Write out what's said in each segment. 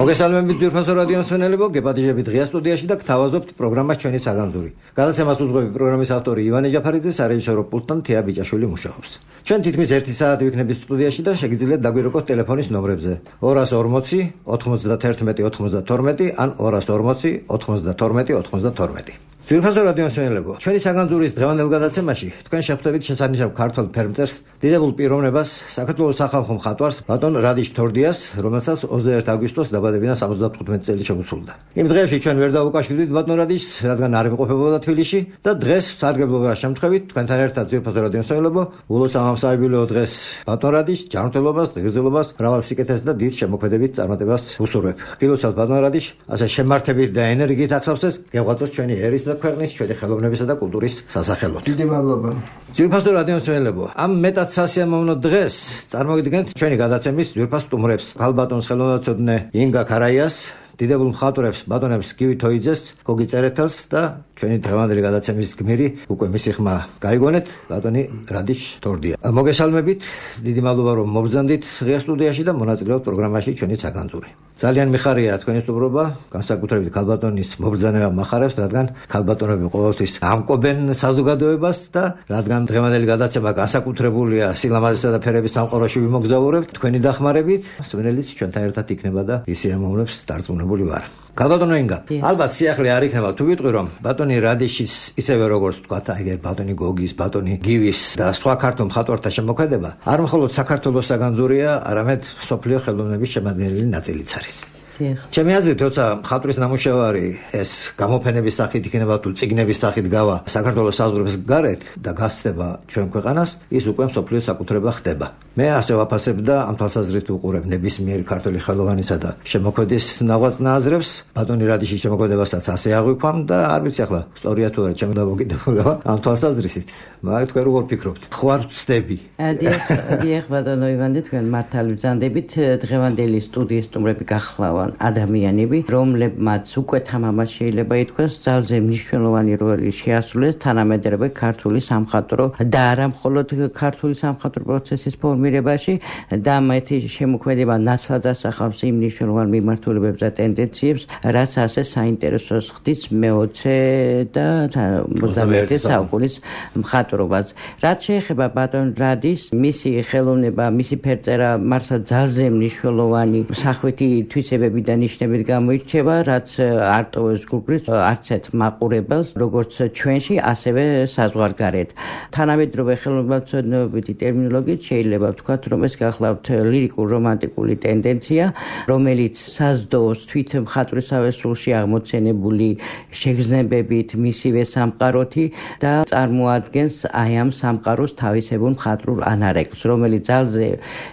მოგესალმებით ძვირფასო რადიო მსმენელებო, გეპატიჟებით ღია სტუდიაში და გთავაზობთ პროგრამას ჩვენი საგანძური. გადაცემას უძღვები პროგრამის ავტორი ივანე ჯაფარიძე, სარეჟისორო პულტთან თეა ბიჭაშვილი მუშაობს. ჩვენ თითქმის 1 საათი ვიქნებით სტუდიაში და შეგიძლიათ დაგვირეკოთ ტელეფონის ნომრებზე 240 91 92 ან 240 92 92. ძვირფასო რადიო მსმენელებო, ჩვენი საგანძურის დღევანდელ გადაცემაში თქვენ შეხვდებით შესანიშნავ ქართველ ფერმწერს, დიდებულ პიროვნებას, საქართველოს სახალხო მხატვარს ბატონ რადიშ თორდიას, რომელსაც 21 აგვისტოს დაბადებიდან 75 წელი შეუცვლიდა. იმ დღეებში ჩვენ ვერ დავუკავშირდით ბატონ რადიშს, რადგან არ იმყოფებოდა თბილისში და დღეს სარგებლობას შემთხვევით თქვენთან ერთად ძვირფასო რადიო მსმენელებო, ულოცავ ამ საიუბილეო დღეს ბატონ რადიშს ჯანმრთელობას, ღირსებას, მრავალ სიკეთეს და დიდ შემოქმედებით წარმატებას უსურვებ. გილოცავთ ბატონ რადიშ, ასე შემართებით და ენერგიით ახსავსეს გეღვაწოს ჩვენი ერის და ქვეყნის, ჩვენი ხელოვნებისა და კულტურის სასახელოდ. დიდი მადლობა. ძვირფასო რადიო მსმენელებო, ამ მეტად სასიამოვნო დღეს წარმოგიდგენთ ჩვენი გადაცემის ძვირფას სტუმრებს. ქალბატონს ხელოვნებაცოდნე ინგა ქარაიას, დიდებულ მხატვრებს ბატონებს გივი თოიძეს, გოგი წერეთელს და ჩვენი დღევანდელი გადაცემის გმირი უკვე მისი ხმა გაიგონეთ, ბატონი რადიშ თორდია. მოგესალმებით, დიდი მადლობა რომ მობრძანდით ღია სტუდიაში და მონაწილეობთ პროგრამაში ჩვენი საგანძური. ძალიან მიხარია თქვენი სტუმრობა, განსაკუთრებით ქალბატონის მობრძანება მახარებს, რადგან ქალბატონები ყოველთვის ამკობენ საზოგადოებას და რადგან დღევანდელი გადაცემა განსაკუთრებულია სილამაზისა და ფერების სამყაროში ვიმოგზაურებთ თქვენი დახმარებით, მსმენელიც ჩვენთან ერთად იქნება და ისიამოვნებს დარწმუნებული ვარ. ქალბატონო ინგა, ალბათ სიახლე არ იქნება თუ ვიტყვი რომ ბატონი რადიშის ისევე როგორც თქვათ, ეგერ ბატონი გოგის, ბატონი გივის და სხვა ქართულ მხატვართა შემოქმედება არ მხოლოდ საქართველოს საგანძურია, არამედ მსოფლიო ხელოვნების შემადგენელი ნაწილიც არის. ჩემი აზრით, როცა მხატვრის ნამუშევარი ეს გამოფენების სახით იქნება თუ წიგნების სახით გავა საქართველოს საზღვრებს გარეთ და გასცდება ჩვენ ქვეყანას, ის უკვე მსოფლიო საკუთრება ხდება. მე ასე ვაფასებ და ამ თვალსაზრისით ვუყურებ ნებისმიერი ქართული ხელოვანისა და შემოქმედის ნაღვაწ ნააზრებს, ბატონი რადიშის შემოქმედებასაც ასე აღვიქვამ და არ ვიცი ახლა სწორია თუ არა ჩემი დამოკიდებულება ამ თვალსაზრისით. მაგრამ თქვენ როგორ ფიქრობთ? ხوار ვწდები? დიახ, ბატონო ივანე, თქვენ მართალი ვზანდებით. დღევანდელი სტუდიის სტუმრები გახლავან ადამიანები, რომლებმაც უკვე თამამად შეიძლება ითქვას, ძალზე მნიშვნელოვანი როლი შეასრულეს თანამედროვე ქართული სამხატვრო და არა მხოლოდ ქართული სამხატვრო პროცესის ფორმირებაში და მათი შემოქმედება ნაცვლად ასახავს იმ მნიშვნელოვან მიმართულებებს და ტენდენციებს, რაც ასე საინტერესოს ხდის მე-20 და 21 საუკუნის მხატვრობას. რაც შეეხება ბატონ რადიშს, მისი ხელოვნება, მისი ფერწერა მართლა ძალზე მნიშვნელოვანი სახვითი თვისებები და ნიშნებით გამოირჩევა, რაც არ ტოვებს გუგლის არცეთ მაყურებელს, როგორც ჩვენში, ასევე საზღვარგარეთ. თანამედროვე ხელოვნებაცოდნეობითი ტერმინოლოგიით შეიძლება ვთქვათ, რომ ეს გახლავთ ლირიკულ-რომანტიკული ტენდენცია, რომელიც საზრდოობს თვით მხატვრისავე სულში აღმოცენებული შეგრძნებებით, მისივე სამყაროთი და წარმოადგენს აი ამ სამყაროს თავისებურ მხატვრულ ანარეკლს, რომელიც ძალზე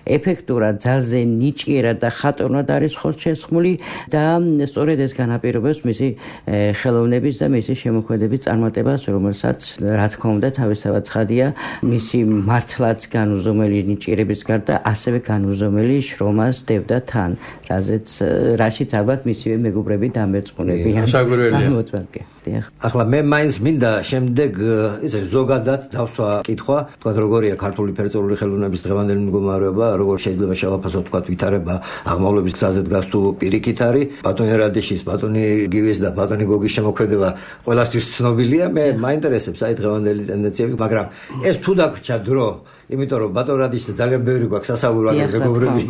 ეფექტურად, ძალზე ნიჭიერად და ხატოვნად არის ხორცშესხმული და სწორედ ეს განაპირობებს მისი ხელოვნების და მისი შემოქმედების წარმატებას, რომელსაც რა თქმა უნდა თავისთავად ცხადია მისი მართლაც განუზომელი ნიჭიერების გარდა ასევე განუზომელი შრომას დევდა თან, რაშიც ალბათ მისივე მეგობრები დამერწმუნებიან. ახლა მე მაინც მინდა შემდეგ ისე ზოგადად დავსვა კითხვა, თქვა როგორია ქართული ფერწერული ხელოვნების დღევანდელი მდგომარეობა, როგორ შეიძლება შევაფასოთ თქვა ვითარება აღმავლობის გზაზე დგას თუ პირიქით არის, ბატონი რადიშის, ბატონი გივის და ბატონი გოგის შემოქმედება ყველასთვის ცნობილია, მე მაინტერესებს აი დღევანდელი ტენდენციები, მაგრამ ეს თუ დაგვრჩა დრო, იმიტომ რომ ბატონ რადიშს ძალიან ბევრი გვაქვს სასაუბრო მეგობრები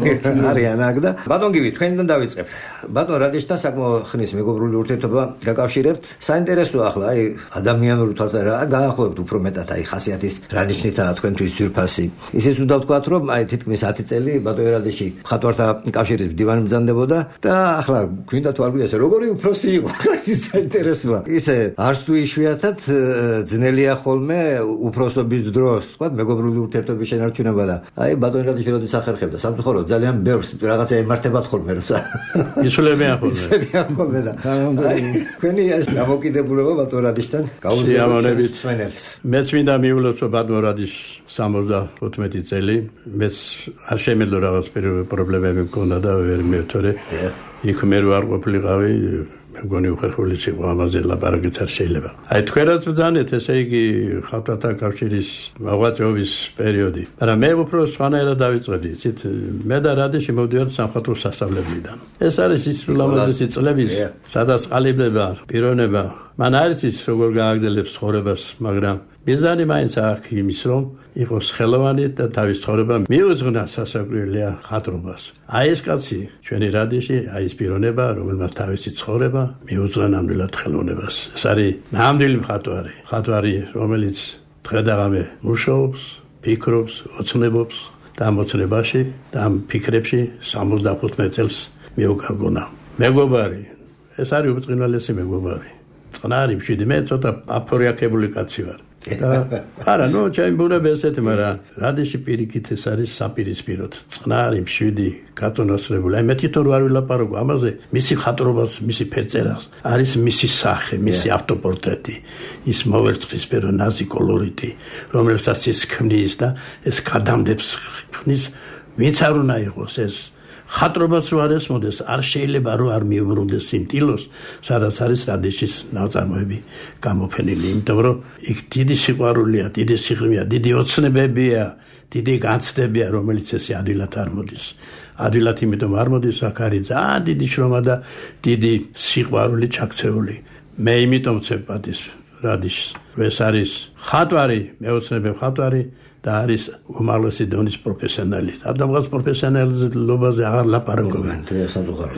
არიან აქ და ბატონ გივი თქვენიდან დავიწყებ. ბატონ რადიშთან საკმაოდ ხნის მეგობრული ურთიერთობა გაკავშირებთ. საინტერესოა ახლა აი ადამიანური თვალსაზრისით რა გაახლოვებთ უფრო მეტად აი ხასიათის რა ნიშნითაა თქვენთვის ძვირფასი. ისიც უნდა ვთქვათ რომ აი თითქმის 10 წელი ბატონ რადიში მხატვართა კავშირის მდივანი ბრძანდებოდა და ახლა გვინდა თუ არ გვინდა ესე როგორი უფროსი იყო. ის საინტერესოა. ისე არც თუ იშვიათად ძნელია ხოლმე უფროსობის დროს ვთქვათ მეგობრული ურთიერთობა შენარჩუნება და აი ბატონ რადიში როდის ახერხებდა სამწუხაროდ ძალიან ბევრს რაღაცა ემართებათ ხოლმე როცა ისულებიან ხოლმე და თქვენი ეს დამოკიდებულება ბატონ რადიშთან გაუზიარებლობით სვენელს. მეც მინდა მიულოცო ბატონ რადიშს 75 წელი, მეც არ შემეძლო რაღაც პრობლემები მქონდა და ვერ მივთორე. იქ მე არ ყოფილიყავი მეგონი უხერხული სიყვა ამაზე ლაპარაკიც არ შეიძლება. აი თქვენაც ბრძანეთ, ესე იგი ხალხთა კავშირის მოღვაწეობის პერიოდი. მაგრამ მე უფრო სხვანაირად დავიწყებდი, იცით, მე და რადიში მოვდივართ სამხატვრო სასწავლებლიდან. ეს არის ის ლამაზი წლები, სადაც ყალიბდება პიროვნება. მან არის ის როგორ გააგრძელებს ცხოვრებას, მაგრამ მიზანი მაინც აქვს იმის, რომ იყოს ხელოვანი და თავის ცხოვრება მიუძღვნა სასაკვირველია ხატრობას. აი ეს კაცი ჩვენი რადიში, აი ეს პიროვნება, რომელმაც თავისი ცხოვრება მიუძღვნა ნამდვილად ხელოვნებას. ეს არის ნამდვილი მხატვარი, რომელიც დღე და ღამე მუშაობს, ფიქრობს, ოცნებობს და ამ ოცნებაში და ამ ფიქრებში 75 წელს მიუგავგონა. მეგობარი, ეს არის უბრწყინვალესი მეგობარი. წყნარი მშვიდი, მე ცოტა აფორიაქებული კაცი ვარ. არა, ჩემი ბუნება ესეთი, მაგრამ რადიში პირიქით ეს არის საპირისპიროდ. წყნარი მშვიდი, გაწონასწრებული. აი მე თვითონ არ ვილაპარაკო ამაზე, მისი ხატრობას, მისი ფერწერას, არის მისი სახე, მისი ავტოპორტრეტი, ის მოვერცხლისფერო ნაზი კოლორიტი, რომელსაც ის ქმნის და ეს გადამდებს ხნის, ვინც არ უნდა იყოს ეს ხატრობას რო არ ესმოდეს, არ შეიძლება რომ არ მიუბრუნდეს იმ ტილოს, სადაც არის რადიშის ნაწარმოები გამოფენილი, იმიტომ რომ იქ დიდი სიყვარულია, დიდი სიღრმეა, დიდი ოცნებებია, დიდი განცდებია, რომელიც ესე ადვილად არ მოდის. ადვილად იმიტომ არ მოდის, აქ არის ძალიან დიდი შრომა და დიდი სიყვარული ჩაქცეული. მე იმიტომ ვცებ პატის რადიშს, ეს არის ხატვარი, მეოცნებე ხატვარი და არის უმაღლესი დონის პროფესიონალი. ამიტომაც პროფესიონალობაზე აღარ ლაპარაკობენ.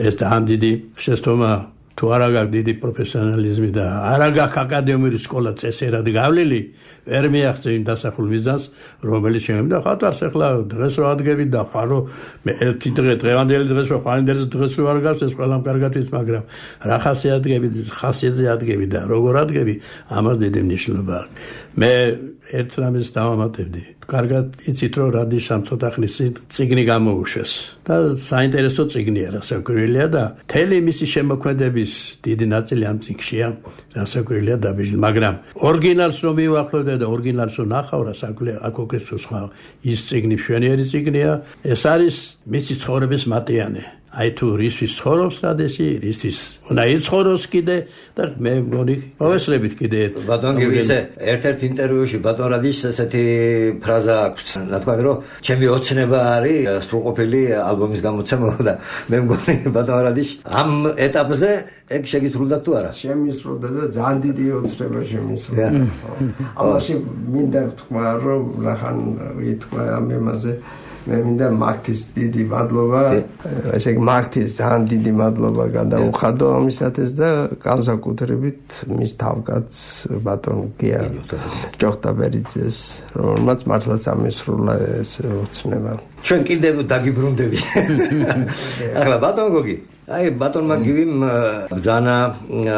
ეს ძალიან დიდი შეცდომა, თუ არა გაქვს დიდი პროფესიონალიზმი და არა გაქვს აკადემიური სკოლა წესერად გავლილი, ვერ მიაღწევ იმ დასახულ მიზანს, რომელიც შემდა ხატვარს ახლა დღეს რო ადგები და ხარო მე ერთი დღე დღევანდელი დღეს რო ხანძელი დღეს რო არ გავს ეს ყველამ კარგად ვიცი, მაგრამ რა ხასიათზე ადგები და როგორ ადგები, ამას დიდი მნიშვნელობა აქვს. მე ერთ რამეს დავამატებდი. კარგად იცით რომ რადიშამ ცოტა ხნის წიგნი გამოუშვეს და საინტერესო წიგნია, რასაკვირველია და მთელი მისი შემოქმედების დიდი ნაწილი ამ წიგნშია, რასაკვირველია დაბეჭდილი, მაგრამ ორიგინალს რომ მივახლოვდე და ორიგინალს რომ ნახავ, რასაკვირველია, აქ ოქროს სხვა ის წიგნი მშვენიერი წიგნია, ეს არის მისი ცხოვრების მატიანე. აი თუ რისთვის ცხოვრობს რადიში, რისთვის უნდა იცხოვროს კიდე და მე მგონი მოვესწრებით კიდე ბატონ გივისე ერთ-ერთ ინტერვიუში ბატონ რადიშს ესეთი ფრაზა აქვს, რა თქვა რომ ჩემი ოცნება არის სრულყოფილი ალბომის გამოცემა და მე მგონი ბატონ რადიშ ამ ეტაპზე ეგ შეგისრულდა თუ არა? შემისრულდა და ძალიან დიდი ოცნება შემისრულდა. ამაში მინდა ვთქვა რომ ნახან ითქვა ამ ემაზე მე მინდა მაგთის დიდი მადლობა, ესე იგი მაგთის ძალიან დიდი მადლობა გადაუხადო ამისათვის და განსაკუთრებით მის თავკაც ბატონ გია ჯოხტაბერიძეს, რომელმაც მართლაც ამისრულა ეს ოცნება. ჩვენ კიდევ დაგიბრუნდები. ახლა ბატონ გოგი, აი ბატონმა გივიმ ბრძანა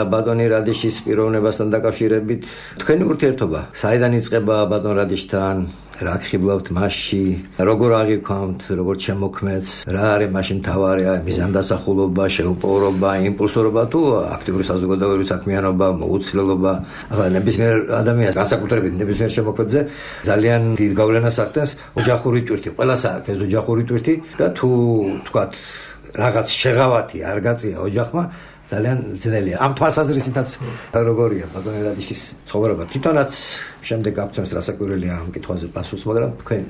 ბატონი რადიშის პიროვნებასთან დაკავშირებით თქვენი ურთიერთობა საიდან იწყება ბატონ რადიშთან? რა გხიბლავთ მასში, როგორ აღიქვამთ, როგორ შემოქმედს, რა არის მაშინ თავარი, მიზანდასახულობა, შეუპოვრობა, იმპულსორობა თუ აქტიური საზოგადოებრივი საქმიანობა, მოუცვლელობა. ახლა ნებისმიერ ადამიანს, განსაკუთრებით ნებისმიერ შემოქმედზე ძალიან დიდ გავლენას ახდენს ოჯახური ტვირთი. ყველას აქვს ეს ოჯახური ტვირთი და თუ თქვათ რაღაც შეღავათი არ გაწია ოჯახმა, ძალიან ძნელია. ამ თვალსაზრისითაც როგორია ბატონ რადიშის ცხოვრება? თვითონაც შემდეგ გაგცემს რასაკვირველია ამ კითხვაზე პასუხს, მაგრამ თქვენ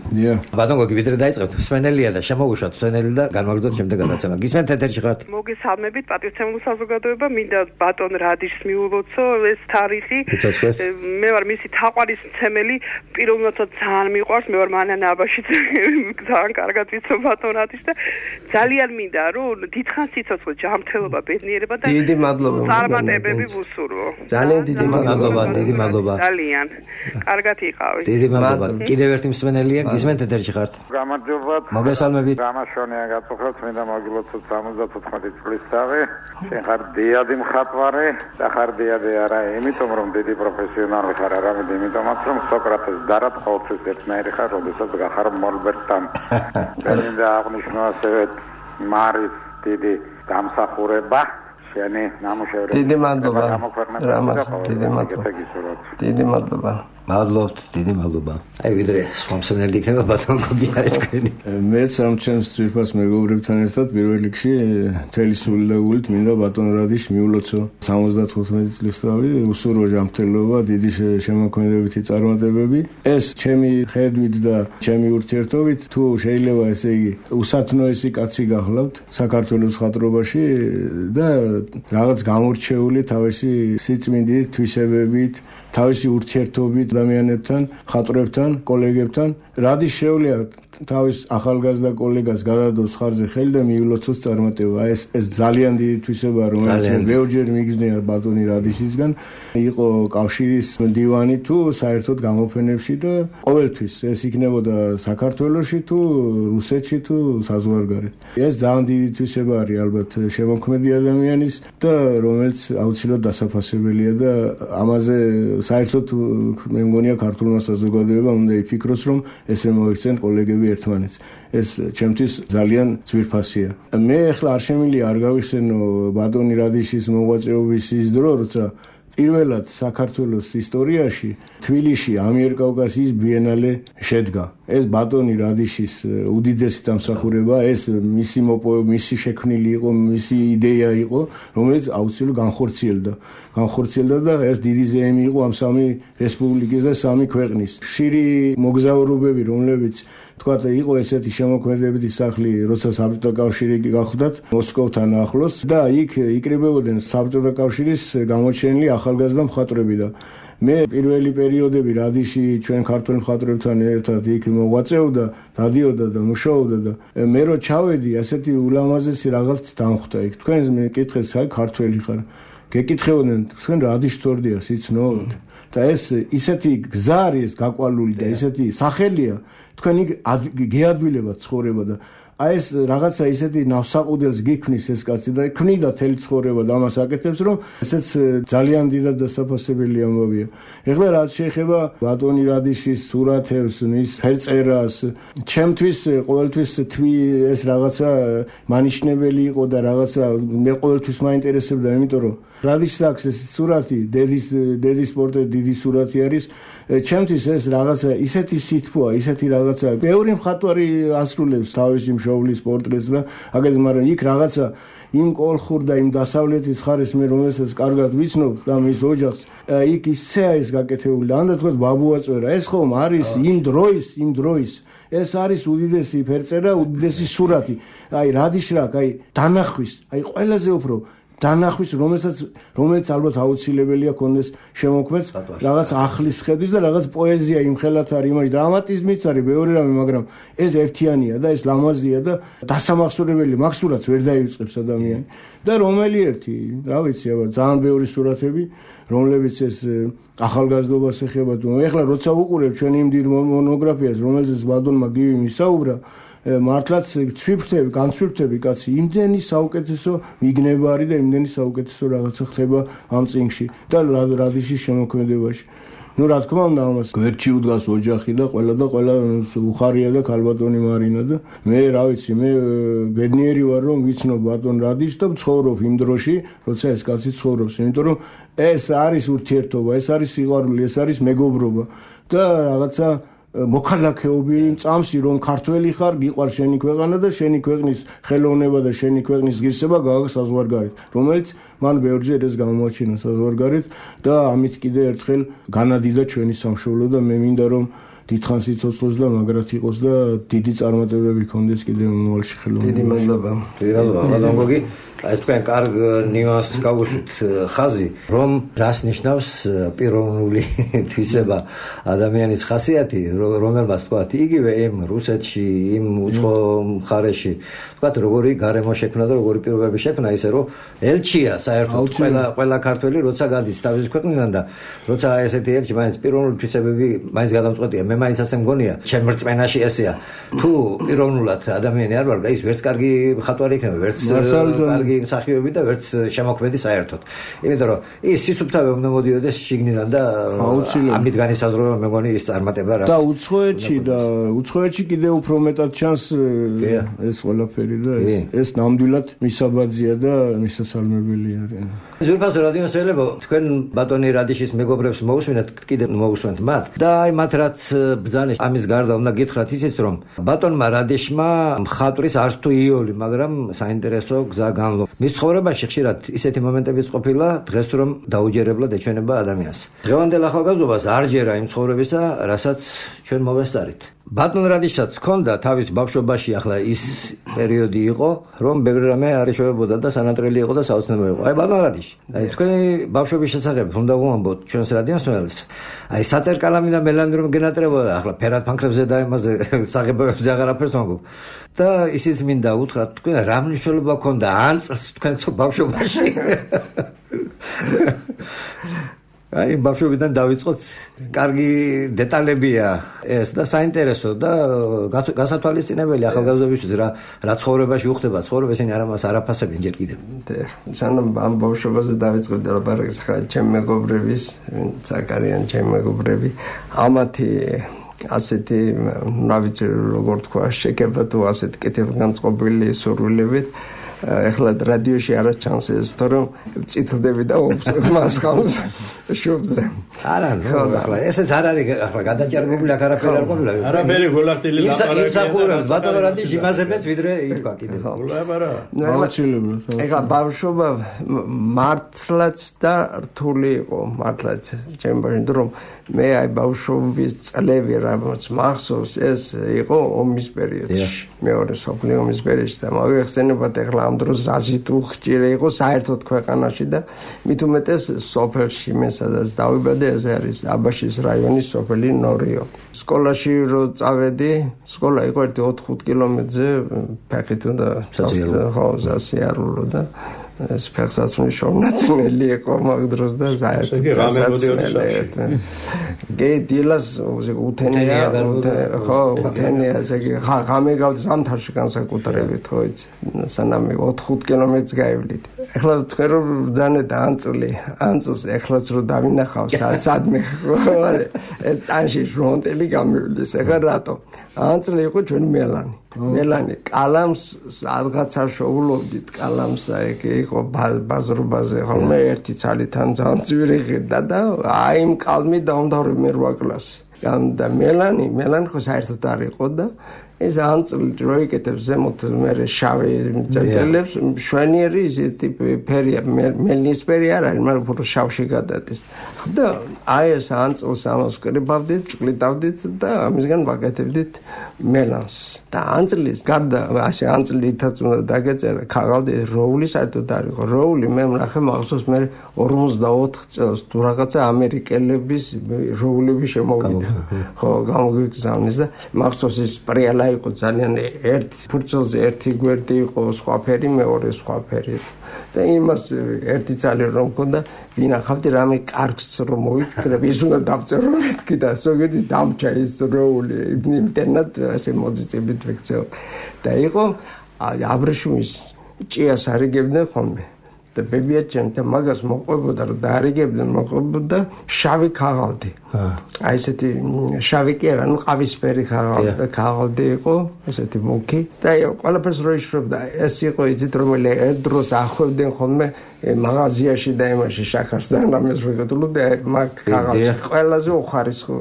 ბატონ გოგი ვიდრე დაიწყებთ, მსმენელია და შემოუშვათ მსმენელი და განვაგრძოთ შემდეგ გადაცემა. გისმენთ ეთერში ხართ? მოგესალმებით პატივცემული საზოგადოება, მინდა ბატონ რადიშს მიულოცო ეს თარიღი. მე ვარ მისი თაყვანისმცემელი, პიროვნულად ძალიან მიყვარს, მე ვარ მანანა აბაში ძალიან კარგად ვიცნობ ბატონ რადიშს და ძალიან მინდა რომ დიდხანს სიცოცხლე, ჯანმრთელობა, ბედნიერება და დიდი მადლობა წარმატებები ვუსურვო. ძალიან დიდი მადლობა, დიდი მადლობა. ძალიან კარგად იყავით. დიდი მადლობა. კიდევ ერთი მსმენელია, გისმენთ ეთერში ხართ? გამარჯობათ. მოგესალმებით. გამაშონია გაწუხოთ, მინდა მოგილოცოთ 74 წლის თავი. შენ ხარ დიადი მხატვარი, და ხარ დიადი არა, იმიტომ რომ დიდი პროფესიონალი ხარ, არამედ იმიტომაც რომ სოკრატეს დარად ყოველთვის ერთნაირი ხარ, როდესაც გახარ მოლბერტთან. მინდა აღნიშნო ასევე მარის დიდი დამსახურება. შენი ნამუშევრები. დიდი მადლობა. დიდი მადლობა. დიდი მადლობა. მადლობთ, დიდი მადლობა. აი ვიდრე სხვა მსმენელი იქნება ბატონ გოგი არის თქვენი. მეც ამ ჩემს ძვირფას მეგობრებთან ერთად პირველ რიგში მთელი სულელეულით მინდა ბატონ რადიშ მიულოცო 75 წლის თავი უსურო ჯანმრთელობა, დიდი შემოქმედებითი წარმატებები. ეს ჩემი ხედვით და ჩემი ურთიერთობით თუ შეიძლება ესე იგი უსათნოესი კაცი გახლავთ საქართველოს ხატრობაში და რაღაც გამორჩეული თავისი სიწმინდით, თვისებებით, თავისი ურთიერთობით ადამიანებთან, ხატრებთან, კოლეგებთან, რადის შეუძლია თავის ახალგაზრდა კოლეგას გადადოს ხარზე ხელი და მიულოცოს წარმატება. ეს ძალიან დიდი თვისებაა, რომელიც ბევრჯერ მიგზნია ბატონი რადიშისგან, იყო კავშირის მდივანი თუ საერთოდ გამოფენებში და ყოველთვის ეს იქნებოდა საქართველოში თუ რუსეთში თუ საზღვარგარეთ. ეს ძალიან დიდი თვისება არის ალბათ შემოქმედი ადამიანის და რომელიც აუცილებლად დასაფასებელია და ამაზე საერთოდ მე მგონია ქართულმა საზოგადოებამ უნდა იფიქროს, რომ ესე მოიქცენ კოლეგები ერთმანეთს. ეს ჩემთვის ძალიან ძვირფასია. მე ახლა არ შემიძლია არ გავიხსენო ბატონი რადიშის მოღვაწეობის ის დრო, როცა პირველად საქართველოს ისტორიაში თბილისში ამიერკავკასიის ბიენალე შედგა. ეს ბატონი რადიშის უდიდესი დამსახურება, ეს მისი შექმნილი იყო, მისი იდეა იყო, რომელიც აუცილებლად განხორციელდა და ეს დიდი ზეიმი იყო ამ სამი რესპუბლიკის და სამი ქვეყნის. ხშირი მოგზაურობები, რომლებიც თქვა იყო ესეთი შემოქმედებითი სახლი, როცა საბჭოთა კავშირი გახდათ მოსკოვთან ახლოს და იქ იკრიბებოდნენ საბჭოთა კავშირის გამოჩენილი ახალგაზრდა მხატვრები და მე პირველი პერიოდები რადიში ჩვენ ქართველ მხატვრებთან ერთად იქ მოღვაწეობდა, დადიოდა და მუშაობდა და მე რო ჩავედი, ასეთი ულამაზესი რაღაც დამხვდა იქ. თქვენ მე კითხეს, აი ქართველი ხარ. გეკითხებოდნენ, თქვენ რადიშ თორდია სიცნობთ? და ეს ისეთი გზა არის გაკვალული და ისეთი სახელია, თქვენ იქ გეადვილებათ ცხოვრება და აი ეს რაღაცა ისეთი ნავსაყუდელს გიქმნის ეს კაცი და ქმნიდა თელი ცხოვრება და ამას აკეთებს, რომ ესეც ძალიან დიდად დასაფასებელი ამბავია. ეხლა რაც შეეხება ბატონი რადიშის სურათებს, მის ფერწერას, ჩემთვის ყოველთვის ეს რაღაცა მანიშნებელი იყო და რაღაცა მე ყოველთვის მაინტერესებდა, იმიტომ რომ რადიშს აქვს ეს სურათი, დედის პორტრეტი დიდი სურათი არის. ჩემთვის ეს რაღაცა ისეთი სითბოა, ისეთი რაღაცა. ბევრი მხატვარი ასრულებს თავისი მშობლის პორტრეტს და აგეთ, მაგრამ იქ რაღაცა იმ კოლხურ და იმ დასავლეთის ხარის მე რომელსაც კარგად ვიცნობ და მის ოჯახს, იქ ისეა ეს გაკეთებული. ამდენ თქვა ბაბუაწვერა, ეს ხომ არის იმ დროის ეს არის უდიდესი ფერწერა, უდიდესი სურათი. აი რადიშრაკ, აი დანახვის, აი ყველაზე უფრო დანახვის, რომელიც ალბათ აუცილებელია კონდეს შემოქმედს რაღაც ახლის ხედვის და რაღაც პოეზია იმხელათ არის, იმაში დრამატიზმიც არის, ბევრი რამე, მაგრამ ეს ერთიანია და ეს ლამაზია და დასამახსოვრებელი მაქსურაც ვერ დაივიწყებს ადამიანი. და რომელი ერთი, რა ვიცი, აბა ძალიან ბევრი სურათები, რომლებიც ეს ახალგაზრდობას ეხება თუ ეხლა როცა უყურებ ჩვენ იმ დიდ მონოგრაფიას, რომელზეც ბატონმა გივი მისაუბრა, მართლაც განცვიფრთები კაცი, იმდენი საუკეთესო მიგნება არის და იმდენი საუკეთესო რაღაცა ხდება ამ წინგში და რადიშის შემოქმედებაში. ნუ რა თქმა უნდა ამას გვერდში უდგას ოჯახი და ყველა უხარია და ქალბატონი მარინა და მე რა ვიცი, მე ბედნიერი ვარ რომ ვიცნობ ბატონ რადიშს და ვცხოვრობ იმ დროში, როცა ეს კაცი ცხოვრობს, იმიტომ რომ ეს არის ურთიერთობა, ეს არის სიყვარული, ეს არის მეგობრობა და რაღაცა მოქალაქეობი წამსი, რომ ქართველი ხარ, გიყვარს შენი ქვეყანა და შენი ქვეყნის ხელოვნება და შენი ქვეყნის ღირსება გააქვს საზღვარგარეთ, რომელიც მან ბევრჯერ ეს გამოაჩინა საზღვარგარეთ და ამით კიდე ერთხელ განადიდა ჩვენი სამშობლო და მე მინდა რომ დიდხანს იცოცხლოს და მაგრად იყოს და დიდი წარმატებები ქონდეს კიდე მომავალში ხელოვნებაში. დიდი მადლობა. ბატონ გოგი, ეს თქვენ კარგ ნიუანსს გავუშვით ხაზი, რომ რას ნიშნავს პიროვნული თვისება ადამიანის ხასიათი, რომელმაც თქვათ იგივე იმ რუსეთში, იმ უცხო მხარეში, თქვათ როგორი გარემო შექმნა და როგორი პირობები შექმნა, ისე რომ ელჩია საერთოდ ყველა ქართველი როცა გადის თავის ქვეყნიდან და როცა ესეთი ელჩი მაინც პიროვნული თვისებები მაინც გადამწყვეტია. მე მაინც ასე მგონია, ჩემ რწმენაში ესეა. თუ პიროვნულად ადამიანი არ ვარ, ის ვერც კარგი მხატვარი იქნება, ვერც კარგი მსახიობი და ვერც შემოქმედი საერთოდ. იმიტომ რომ ის სიცოცხლე უნდა მოდიოდეს შიგნიდან და ამით განისაზღვრება მე მგონი ის წარმატება რაც და უცხოეთში კიდე უფრო მეტად ჩანს ეს ყველაფერი და ეს ნამდვილად მისაბაძია და მისასალმებელია. ზურფასო რადიოსელებო, თქვენ ბატონი რადიშის მეგობრებს მოусმინეთ, კიდე მოусმენთ მათ და აი მათ რაც ბრძანის ამის გარდა უნდა გითხრათ ისიც რომ ბატონმა რადიშმა მხატვრის არც თუ იოლი, მაგრამ საინტერესო გზა განლო. მის ცხოვრებაში ხშირად ისეთი მომენტებიც ყოფილა დღეს რომ დაუჯერებლად ეჩვენება ადამიანს. დღევანდელ ახალგაზრდობას არ ჯერა იმ ცხოვრებისა, რასაც ჩვენ მოვესწარით. ბატონ რადიშსაც ჰქონდა თავის ბავშვობაში ახლა ის პერიოდი იყო, რომ ბევრი რამე არ ეშოვებოდა და სანატრელი იყო და საოცნებო იყო. აი ბატონ რადიში, აი თქვენი ბავშვობის შესახებ უნდა ვუამბოთ ჩვენს რადიოსმენელს. აი საწერკალამი და მელანი რომ გენატრებოდა, ახლა ფერად ფანქრებზე და იმაზე საღებავებზე აღარაფერს ვამბობ. და ისიც მინდა უთხრათ, თქვენ რა მნიშვნელობა ჰქონდა ან წელს თქვენ ბავშვობაში? აი ბავშვობიდან დავიწყოთ, კარგი დეტალებია ეს და საინტერესო და გასათვალისწინებელი ახალგაზრდობისთვის რა ცხოვრებაში უხდება ცხოვრება, ისინი არამას არაფასებენ ჯერ კიდევ. სანამ ამ ბავშვობაზე დავიწყებდი ლაპარაკს, ხა ჩემი მეგობრების, საკარიან ჩემი მეგობრები, ამათი ასეთი რა ვიცი როგორ თქვა, შეკება თუ ასეთი კეთილგანწყობილი სურვილებით ეხლა რადიოში არა ჩანს ეს, თორემ წითლდები და მას ხავს შუბზე. არა, ახლა ესეც არ არის ახლა გადაჭარბებული აქ არაფერი არ ყოფილა. არაფერი გოლახტილი ლაპარაკი. იმსახურებს ბატონო რადიში იმაზებიც ვიდრე იქა კიდე. ეხლა ბავშვობა მართლაც და რთული იყო, მართლაც ჩემ ბავშვობაშ, რომ მე აი ბავშვობის წლები რაც მახსოვს, ეს იყო ომის პერიოდში, მეორე მსოფლიო ომის პერიოდში და მოგეხსენებათ ეხლა ამ დროს რაზი თუ ხშირი იყო საერთოდ ქვეყანაში და მით უმეტეს სოფელში, მე სადაც დავიბადე, ეს არის აბაშის რაიონის სოფელი ნორიო. სკოლაში რო წავედი, სკოლა იყო 4-5 კილომეტრზე ფეხით და ხო სასიარულო და ეს ფეხსაცმლის შოვნაცმელი იყო მაგ დროს და საერთოდ დილას უთენია, ხო უთენია, ღამე გავდი ზამთარში განსაკუთრებით, ხო იცი, სანამ 4-5 კილომეტრს გაივლით. ეხლა თქვენ რომ ბრძანეთ ანწოს ეხლაც რო დავინახავ სადმე ხო არა, ტანში ჟონტელი გამივლის, ეხლა რატო? ანწლი იყო ჩვენი მელანი კალამს რაღაცა შოულობდით კალამს ეგ იყო ბაზრობაზე ხოლმე ერთი ცალითან ძალიან ძვირი ღირდა და აი იმ კალმი დავდავრი მე 8 კლასი და მელანი ხო საერთოდ არ იყო და ეს ანწლი რო იკეთებს ზემოთ მე შავი წერტილებს შვენიერი ისეთი ფერია მელნისფერი არ არის მაგრამ უფრო შავში გადადის და აი ეს ანწლს ამას ვკრებავდით ჭკლიდავდით და ამისგან ვაკეთებდით მელანს და ანწლის გარდა ასე ანწლითაც უნდა დაგეწერა ქაღალდი როული საერთოდ არ იყო როული მე ვნახე მახსოვს მე 54 წელს თუ რაღაცა ამერიკელების როულები შემოვიდა ხო გამოგიგზავნის და მახსოვს ის პრიალა იყო ძალიან ერთი ფურცელზე ერთი გვერდი იყო სხვა ფერი მეორე სხვა ფერი და იმას ერთი წალი რომ მქონდა ვინახავდი რამე კარგს რომ მოიქრებ ის უნდა დავწერო მეთქი და ზოგიერთი დამჭა ის როული იმდენად ასე მოძიწებით ვიქცეო და იყო აბრეშუმის ჭიას არიგებდნენ ხოლმე და ბებიაჩემ და მაგას მოყვებოდა რომ დაარიგებდნენ მოყვებოდა შავი ქაღალდი აი ესეთი შავი კი არა ნუ ყავისფერი ქაღალდი იყო ესეთი მუქი და ყველაფერს რო იშრობდა ეს იყო იცით რომელი ერთ დროს ახვევდნენ ხოლმე მაღაზიაში და იმაში შახარს და რამეს ვეკეთებდი მაგ ქაღალდს ყველაზე უხარისხო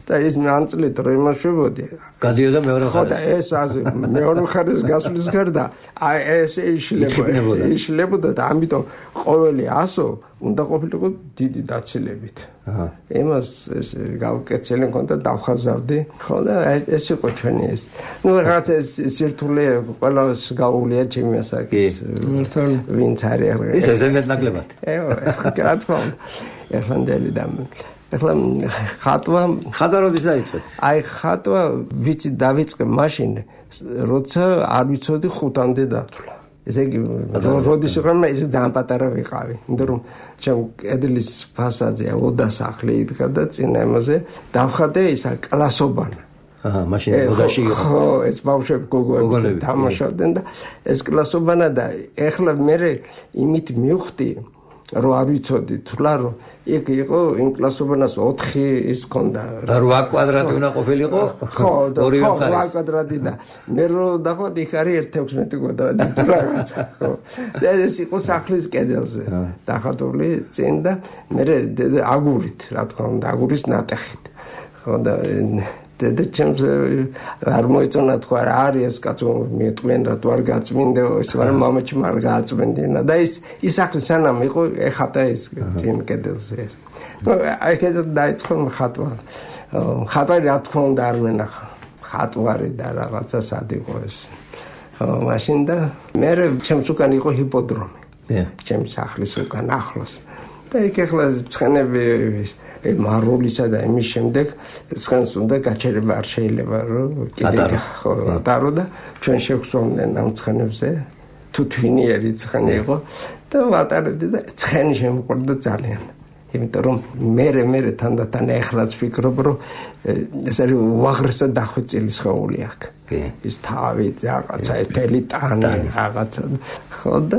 და ის ანწლით რომ იმაშვებოდი გადიოდა მეორე ხარ ხო და ეს მეორე ხარის გასulis გარდა აი ეს იშლებოდა და ამიტომ ყოველი 100 უნდა ყოფილიყო დიდი დაცილებით იმას ეს გავკეთილი მქონდა დავხაზავდი ხო და ეს იყო ჩვენი ეს ნუ რაღაც ეს სირთულე ყველას გაუვლია ჩემი ასაკის ვინც არის ეს ზემეთ ნაკლებად რა თქმა უნდა ეხლანდელი და ეხლა ხატვა როდის დაიწყეთ? აი ხატვა ვიცი დავიწყე მაშინ როცა არ ვიცოდი 5-მდე დათვლა. ესე იგი როდის ვიყავ მე ისე ძალიან პატარა ვიყავი იმიტომ რომ ჩემ კედლის ფასადზე ოდა სახლი იდგა და წინა იმაზე დავხადე ისა კლასობანა მაშინ ოდაში იყო ხო ეს ბავშვები გოგონები თამაშობდნენ და ეს კლასობანა და ეხლა მე იმით მივხვდი რომ არ ვიცოდი თულა რომ იქ იყო იმ კლასობანას 4 ის ქონდა 8 კვადრატი უნდა ყოფილიყო ხო 8 კვადრატი და მე რომ დავხდი იქ არის 1.16 კვადრატი თუ რაღაცა ხო და ეს იყო სახლის კედელზე დახატული წინ და მე აგურით რა თქმა უნდა აგურის ნატეხით ხო და და ჩემს არ მოიწონა თქვა რა არის ეს კაცო მიეტყვიან რა თუ არ გაწმინდე ეს მაგრამ მამაჩი არ გააწმინდინა და ის სახლი სანამ იყო ეხატა ეს წინ კედელზე ეს ნუ აი კედელ დაიწყო ხატვარი რა თქმა უნდა არ მენახა ხატვარი და რაღაცა სად იყო ეს მაშინ და მე ჩემს უკან იყო ჰიპოდრომი ჩემს სახლის უკან ახლოს და იქ ახლა ცხენები მაროლისა და იმის შემდეგ ცხენს უნდა გაჩერება არ შეიძლება რომ კიდე ხო ატარო და ჩვენ შევხსოვდნენ ამ ცხენებზე თუ თვინიერი ცხენი იყო და ვატარებდი და ცხენი შემოყვარდა ძალიან იმიტომ რომ მე თანდათან ეხლაც ვფიქრობ რომ ეს არის უაღრესად დახვეწილი სხეული აქვს ის თავი რაღაცა ეს თელი ტანი რაღაცა ხო და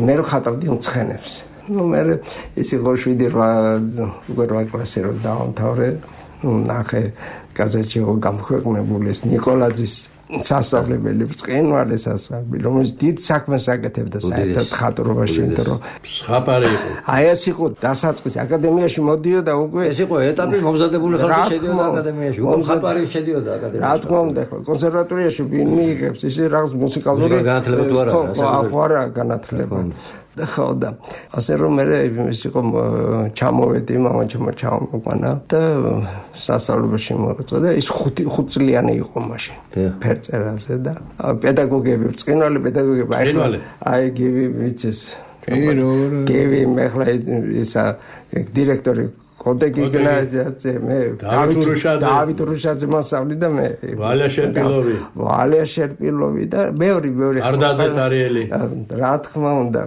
მე ხატავდი ამ ცხენებს ну მე ის იყო 7 კლასი რომ დაამთავრე ნახე გაზეთში იყო გამოქვეყნებული ეს ნიკოლაძის სასწავლებელი ბრწყინვალე სასწავლებელი რომელიც დიდ საქმეს აკეთებდა საერთოდ ხატრობაში იმიტომ რომ ხაპარი იყო აი ეს იყო დასაწყისი აკადემიაში მოდიოდა უკვე ეს იყო ეტაპი მომზადებული ხალხი შედიოდა აკადემიაში უკვე ხაპარი შედიოდა აკადემიაში რა თქმა უნდა ხო კონსერვატორიაში ვინ მიიღებს ისე რაღაც მუსიკალური განათლება თუ არა განათლება ხო და ასე რომ მე ის იყო ჩამოვედი მამაჩემო ჩამოყვანა და სასწავლებელში მოეწყო და ის 5 წლიანი იყო მაშინ ფერწერაზე და პედაგოგები ბრწყინვალე პედაგოგები აი გივი ვიცეს გივი მე ხლა ისა დირექტორი კოდეგი გიმნაზიაზე მე დავით რუშაძე მასწავლი და მე ვალია შერპილოვი და მეორე არდაძე ტარიელი რა თქმა უნდა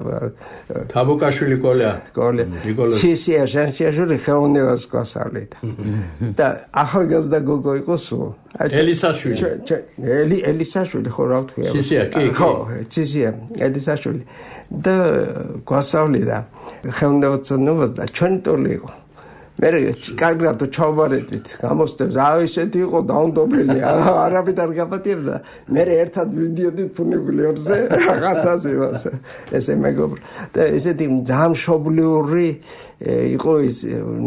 თაბუკაშვილი კოლია ცისია ჟანშიაჟური ხელოვნებას გვასწავლით და ახალგაზრდა გოგო იყო სულ ელისაშვილი ხო რა ვთქვი ცისია კი ხო ცისია ელისაშვილი და გვასწავლიდა ხელოვნებაცნობას და ჩვენი ტოლი იყო მე კარგად ჩავბარეთით გამოსდევ რა ისეთი იყო დაუნდობელი არაფერ არ გაპატიებდა მე ერთად ვიდიოდით ფუნიკულიორზე რაღაცაზე ესე მეგობრ და ესეთი ძალიან მშობლიური იყო ის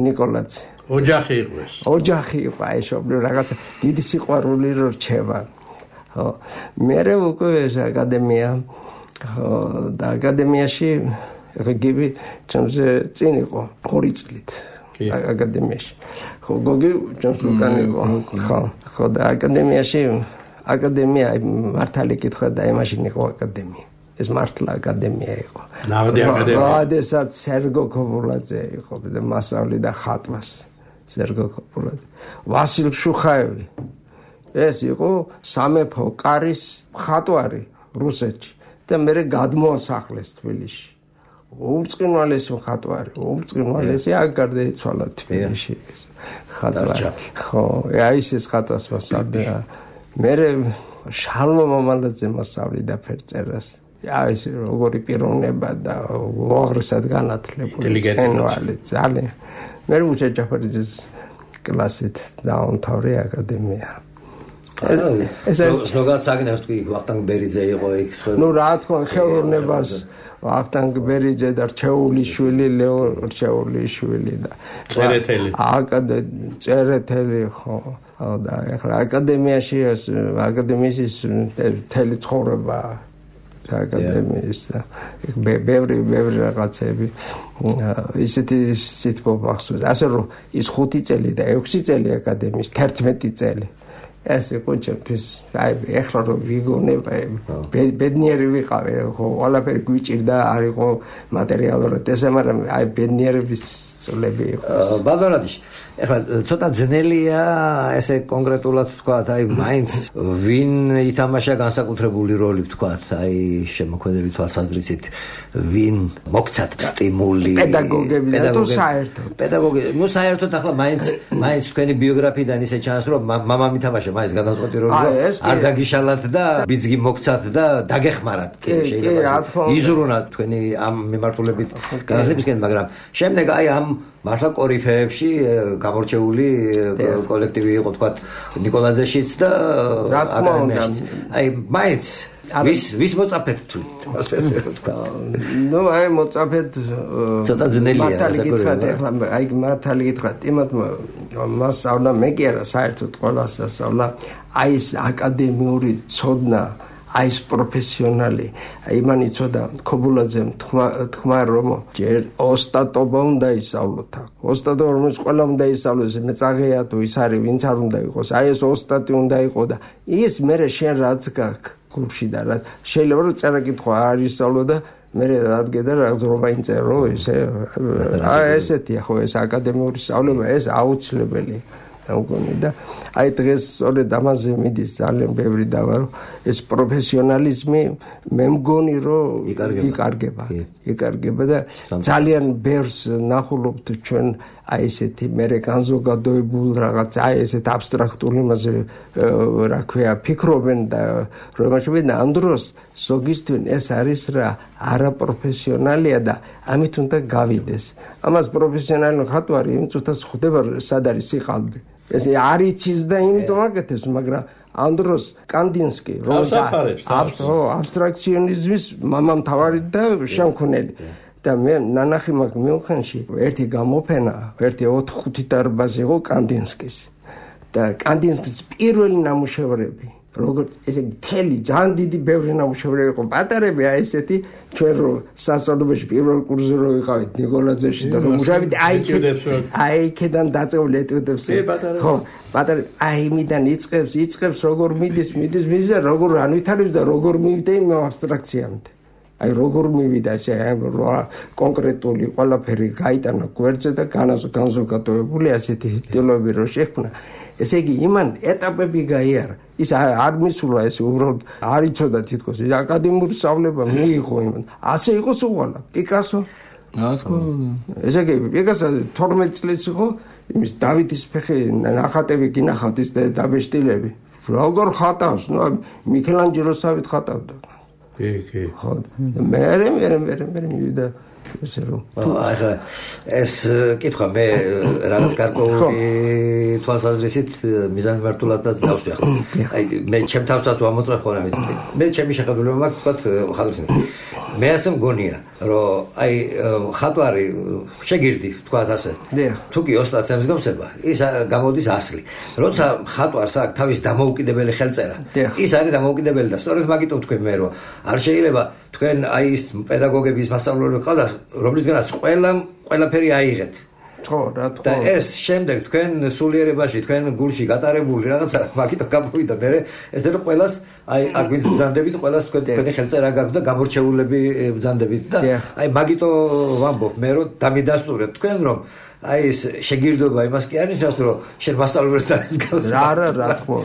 ნიკოლაძე ოჯახი იყო აი მშობლიური რაღაცა დიდი სიყვარული რო რჩება ხო მე უკვე ეს აკადემია ხო და აკადემიაში რეგივი ჩემზე წინ იყო 2 წლით აკადემიაში ხო გოგი ჩვენს უკან იყო ხო და აკადემია მართალი კითხვა და იმაში იყო აკადემია ეს მართლა აკადემია იყო ნაღდი აკადემია როდესაც სერგო ქობულაძე იყო და მასწავლი და ხატვას სერგო ქობულაძე ვასილ შუხაევი ეს იყო სამეფო კარის ხატვარი რუსეთში და მე გადმოასახლეს თბილისში უმწყინვალესი ხატვარი უმწყინვალესი აგარდა იცვალა თბილისში ხატვარი ხო აი ეს ხატვას მასწავლია მე შალმო მამალაძე მასწავლიდა ფერწერას აი ეს როგორი პიროვნება და უაღრესად განათლებული ძალიან მე უჩა ჯაფარიძის კლასით დაამთავრე აკადემია ეს ზოგადად საგნებს თქვი ვახტანგ ბერიძე იყო იქ ნუ რა თქმა ხელოვნებას ვახტანგ ბერიძე და რჩეულიშვილი ლეო რჩეულიშვილი და წერეთელი ხო და ახლა აკადემიაში აკადემიის თელი ცხოვრება აკადემიის და ბევრი რაღაცები ისეთი სიტყვა ახსოვს ასე რომ ის 5 წელი და 6 წელი აკადემიის 11 წელი ეს იყო ჩემთვის აი ეხლა რომ ვიგონე ბედნიერი ვიყავი ხო ყველაფერი გვიჭირდა არ იყო მატერიალურად ესე მაგრამ აი ბედნიერების წლები იყოს. ბატონადიში, ეხლა ცოტა ძნელია ესე კონკრეტულად ვთქვათ, აი მაინც ვინ ითამაშა განსაკუთრებული როლი ვთქვათ, აი შემოქმედების თვალსაზრისით ვინ მოგცათ სტიმული პედაგოგები და თუ საერთოდ პედაგოგები, ნუ საერთოდ ახლა მაინც თქვენი ბიოგრაფიიდან ისე ჩანს, რომ მამამ ითამაშა მაინც განსაკუთრებული როლი, არ დაგიშალათ და ბიძგი მოგცათ და დაგეხმარათ, შეიძლება იზრუნათ თქვენი ამ მიმართულებით განათლებისკენ, მაგრამ შემდეგ აი ამ მართლა კორიფეებში გამორჩეული კოლექტივი იყო თქვათ ნიკოლაძეშიც და აკადემიაში. აი მაინც ვის მოწაფეთ თუ ასე ვთქვა. ნუ აი მოწაფეთ ცოტა ძნელია მართალი გითხრათ, ეხლა აი მართალი გითხრათ, იმათმა მასწავლა მე კი არა საერთოდ ყველას ასწავლა აი ეს აკადემიური ცოდნა, აი ეს პროფესიონალი, აი მან იცოდა ქობულაძემ თქვა რომ ჯერ ოსტატობა უნდა ისწავლოთ. ოსტატობა რომელიც ყველა უნდა ისწავლოს, მე წაღეა თუ ის არის ვინც არ უნდა იყოს. აი ეს ოსტატი უნდა იყოს და ის მე შენ რაც გაქვს გულში და რა შეიძლება რომ წერა კითხვა არ ისწავლო და მე რადგე და რა ძრობა ინწერო ესე აი ესეთია ხო ეს აკადემიური სწავლება ეს აუცილებელი მგონი და აი დღეს სწორედ ამაზე მიდის ძალიან ბევრი დავა რომ ეს პროფესიონალიზმი მე მგონი რომ იკარგება და ძალიან ბევრს ნახულობთ ჩვენ აი ესეთი მერე განზოგადოებულ რაღაც აი ესეთ აბსტრაქტულ იმაზე რა ქვია ფიქრობენ და რომ ამაშობენ ამ დროს ზოგისთვის ეს არის რა არაპროფესიონალია და ამით უნდა გავიდეს ამას პროფესიონალი ხატვარი იმ წუთას ხვდება სად არის სიყალბე ეს არ იცის და იმიტომ აკეთებს მაგრამ ამ დროს კანდინსკი როცა აბსტრაქციონიზმის მამამთავარი და შემქმნელი და მე ნანახი მაქვს მიუნხენში ერთი გამოფენა ერთი 4-5 დარბაზი იყო კანდინსკის და კანდინსკის პირველი ნამუშევრები როგორც ესე მთელი ძალიან დიდი ბევრი ნამუშევრები იყო პატარები აი ესეთი ჩვენ რო სასწავლებელში პირველ კურსზე რო ვიყავით ნიკოლაძეში და რომ მუშაობთ აი იქიდან დაწეული ეტუდებს ხო პატარები აი იმიდან იწყებს როგორ მიდის და როგორ ანვითარებს და როგორ მივიდა იმ აბსტრაქციამდე აი როგორ მივიდა ესე კონკრეტული ყველაფერი გაიტანა გვერდზე და განზოგადოებული ასეთი ტილოები რო შექმნა ესე იგი იმან ეტაპები გაიარა ის არ მისულა ეს უბრალოდ არ იცოდა თითქოს ის აკადემიური სწავლება მიიღო იმან ასე იყო უყალა პიკასო ესე იგი პიკასო 12 წლის იყო იმის დავითის ფეხი ნახატები გინახავთ ის დაბეშტილები როგორ ხატავს ნუ მიქელანჯელოსავით ხატავდა კი ხო მე მივიდა ესე რომ ახლა ეს კითხვა მე რაღაც გარკვეული თვალსაზრისით მიზანმიმართულადაც დავშვი ახლა აი მე ჩემ თავსაც ვამოწმებ ხოლმე მე ჩემი შეხედულება მაქვს თქვათ ხატვისმი მე ასე მგონია რომ აი ხატვარი შეგირდი თქვათ ასე თუ კი ოსტატს ემსგავსება ის გამოდის ასლი როცა ხატვარს აქვს თავის დამოუკიდებელი ხელწერა ის არის დამოუკიდებელი და სწორედ მაგიტომ თქვენ მე რომ არ შეიძლება თქვენ აი ის პედაგოგების მასწავლებლები ყავდა რომლისგანაც ყველაფერი აიღეთ ხო რა თქმა და ეს შემდეგ თქვენ სულიერებაში თქვენ გულში გატარებული რაღაცა მაგითო გამოვიდა მე ეს რომ ყველას აი აქ ვინც ბრძანდებით ყველას თქვენი ხელწერა გაქვს და გამორჩეულები ბრძანდებით და აი მაგითო ვამბობ მე რომ დამიდასტურეთ თქვენ რომ აი ეს შეგირდობა იმას კი არ ნიშნავს რომ შენ მასწავლებელს დაისგავს რა თქმა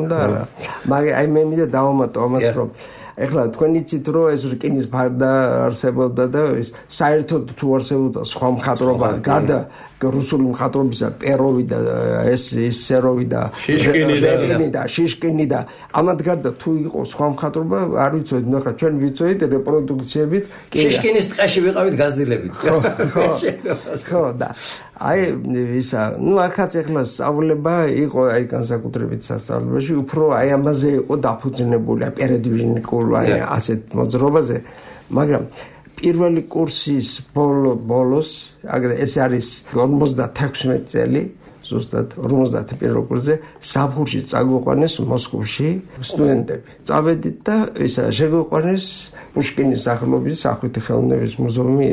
უნდა რა მაგრამ აი მე მინდა დავამატო ამას რომ ეხლა თქვენ იცით რომ ეს რკინის ფარდა არსებობდა და ეს საერთოდ თუ არსებობდა სხვა მხატვრობა გარდა რუსული მხატვრობისა პეროვი და ეს სეროვი და შიშკინი და ამათ გარდა თუ იყო სხვა მხატვრობა არ ვიცოდით ნახა ჩვენ ვიცოდით რეპროდუქციებით შიშკინის ტყეში ვიყავით გაზრდილებით ხო და აი ისა ნუ აქაც ეხლა სწავლება იყო აი განსაკუთრებით სასწავლებელში უფრო აი ამაზე იყო დაფუძნებული პერედვიჟნიკულ აი ასეთ მოძრაობაზე მაგრამ პირველი კურსის ბოლოს ეს არის 56 წელი ზუსტად 51 კურსზე საფხურში წაგვიყვანეს მოსკოვში სტუდენტები წავედით და ისა შეგვიყვანეს პუშკინის სახელობის სახვითი ხელოვნების მუზეუმი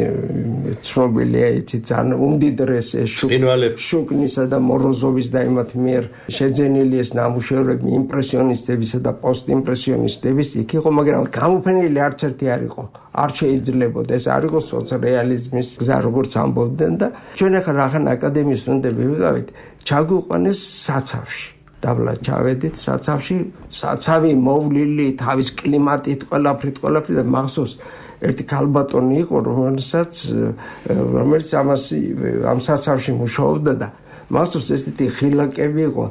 ცნობილია იცით ძალიან უმდიდრესი შუკნისა და მოროზოვის და იმათ მიერ შეძენილი ეს ნამუშევრები იმპრესიონისტებისა და პოსტიმპრესიონისტების იქ იყო მაგრამ გამოფენილი არც ერთი არ იყო არ შეიძლებოდა ეს არ იყოს სოციალიზმის გზა როგორც ამბობდნენ და ჩვენ ახლა რახან აკადემიის სტუდენტები ვიყავით ჩაგვიყვანეს საცავში დაბლა ჩავედით საცავში საცავი მოვლილი თავის კლიმატით ყველაფრით და მახსოვს ერთი ქალბატონი იყო რომელიც ამ საცავში მუშაობდა და მახსოვს ესეთი ღილაკები იყო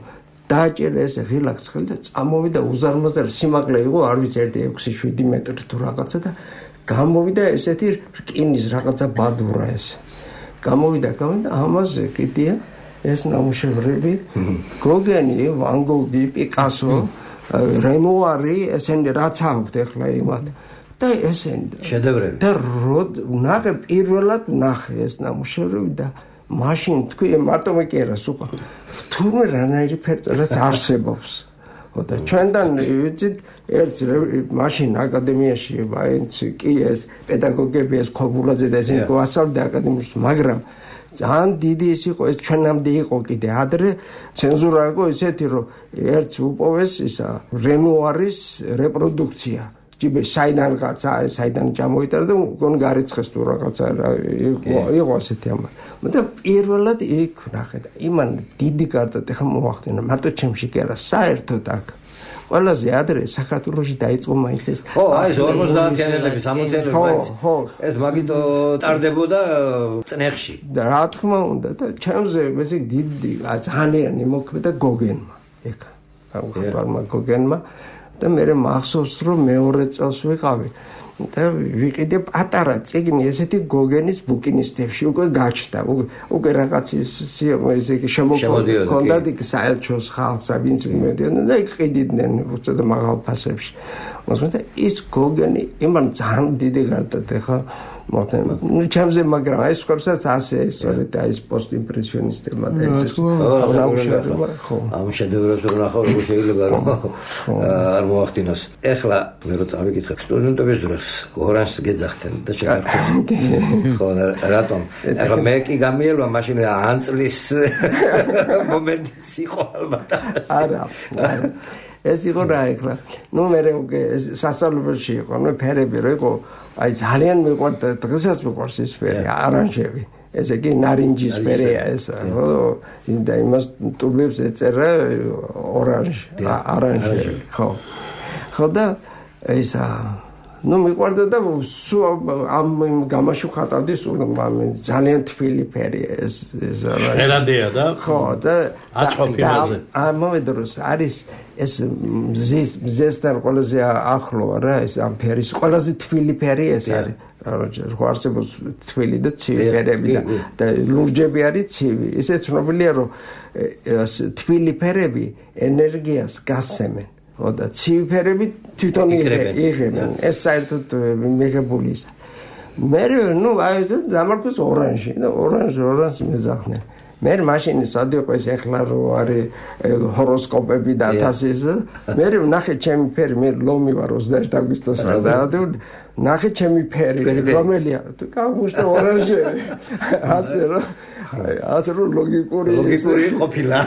დააჭერა ეს ღილაკს ხელი და წამოვიდა უზარმაზარი სიმაღლე იყო არ ვიცი 6-7 მეტრი თუ რაღაცა და გამოვიდა ესეთი რკინის რაღაცა ბადურა ეს გამოვიდა ამაზე კიდია ეს ნამუშევრები გოგენი ვან გოგი პიკასო რენუარი ესენი რაც აქვთ ახლა იმათ და ესენი შედევრები და ნახე პირველად ნახე ეს ნამუშევრები და მაშინ თქვი მარტო მეკერას უკვე თურმე რანაირი ფერწერაც არსებობს და ჩვენთან ვიცით ერთ მაშინ აკადემიაში მაინც კი ეს პედაგოგები ეს ქობულაძე და ესენი გვასწავლდა აკადემიაში მაგრამ ძალიან დიდი ის იყო ეს ჩვენამდე იყო კიდე ადრე ცენზურა იყო ისეთი რომ ერთს უპოვეს ისა რენუარის რეპროდუქცია ჯიბე საიდან ჩამოიტანა და გონ გარიცხეს თუ რაღაცა იყო ასეთი ამბავი მაგრამ პირველად იქ ნახე და იმან დიდი კარტად ეხა მოახდინა მარტო ჩემში კი არა საერთოდ აქ ყველაზე ადრე საქართველოში დაიწყო მაინც ეს ხო აი ეს 50-იანების 60-იანების მაინც ეს მაგიტო ტარდებოდა წნეხში და რა თქმა უნდა და ჩემზე ესე დიდი ძალიან მოქმედა გოგენმა ეხა აღარ გოგენმა და მე მახსოვს რომ მეორე წელს ვიყავი და ვიყიდე პატარა წიგნი ესეთი გოგენის ბუკინისტებში უკვე გაჩნდა უკვე რაღაც ისე შემოქონდა იქ საელჩოს ხალხსა ვინც მედიან და იქ ყიდიდნენ უცოტა მაღალ ფასებში მაგრამ ის გოგენი იმან ძალიან დიდი გარდადა ხა ნუ ჩემზე მაგრამ ეს ხებსაც ასე სწორედ აი ეს პოსტიმპრესიონისტებმა და ეს ამ შედევრებს რო ნახავ როგორ შეიძლება რომ არ მოახდინოს ეხლა მე რო წავიკითხე სტუდენტობის დროს ორანჟს გეძახდნენ და შეგარჩევ ხო რატომ ეხლა მე კი გამიელვა მაშინ ანწლის მომენტიც იყო ალბათ არა ეს იყო რა ეხლა ნუ მე სასწავლებელში იყო ნუ ფერები რო იყო აი ძალიან მიყვარდა დღესაც მიყვარს ეს ფერი არანჟები ესე იგი ნარინჯის ფერია ეს ხო და იმას ტუბლებს ეწერა არანჟი ხო და ისა ნუ მიყვარდა და ამ გამაში ხატავდი ძალიან თბილი ფერია ეს ერადია და ხო და აწყობილაზე ამავდროულად არის ეს მზესთან ყველაზე ახლო რა ეს ამ ფერის ყველაზე თბილი ფერი ეს არის რა არსებობს თბილი და ცივი ფერები და ლურჯები არის ცივი ისე ცნობილია რომ თბილი ფერები ენერგიას გასცემენ და ცივი ფერები თვითონ იღებენ ეს საერთოდ მიღებული ის მე ნუ აი დამარხოს ორანჟი და ორანჟი მეძახდნენ მე მაშინ სადიყო ეს ეხლა რო არის ჰოროსკოპები და თასის მე ნახე ჩემი ფერი მე ლომი ვარ 21 აგვისტოს და ნახე ჩემი ფერი რომელია თუ გავუშტე ორანჟი ასე რომ ლოგიკური ყოფილა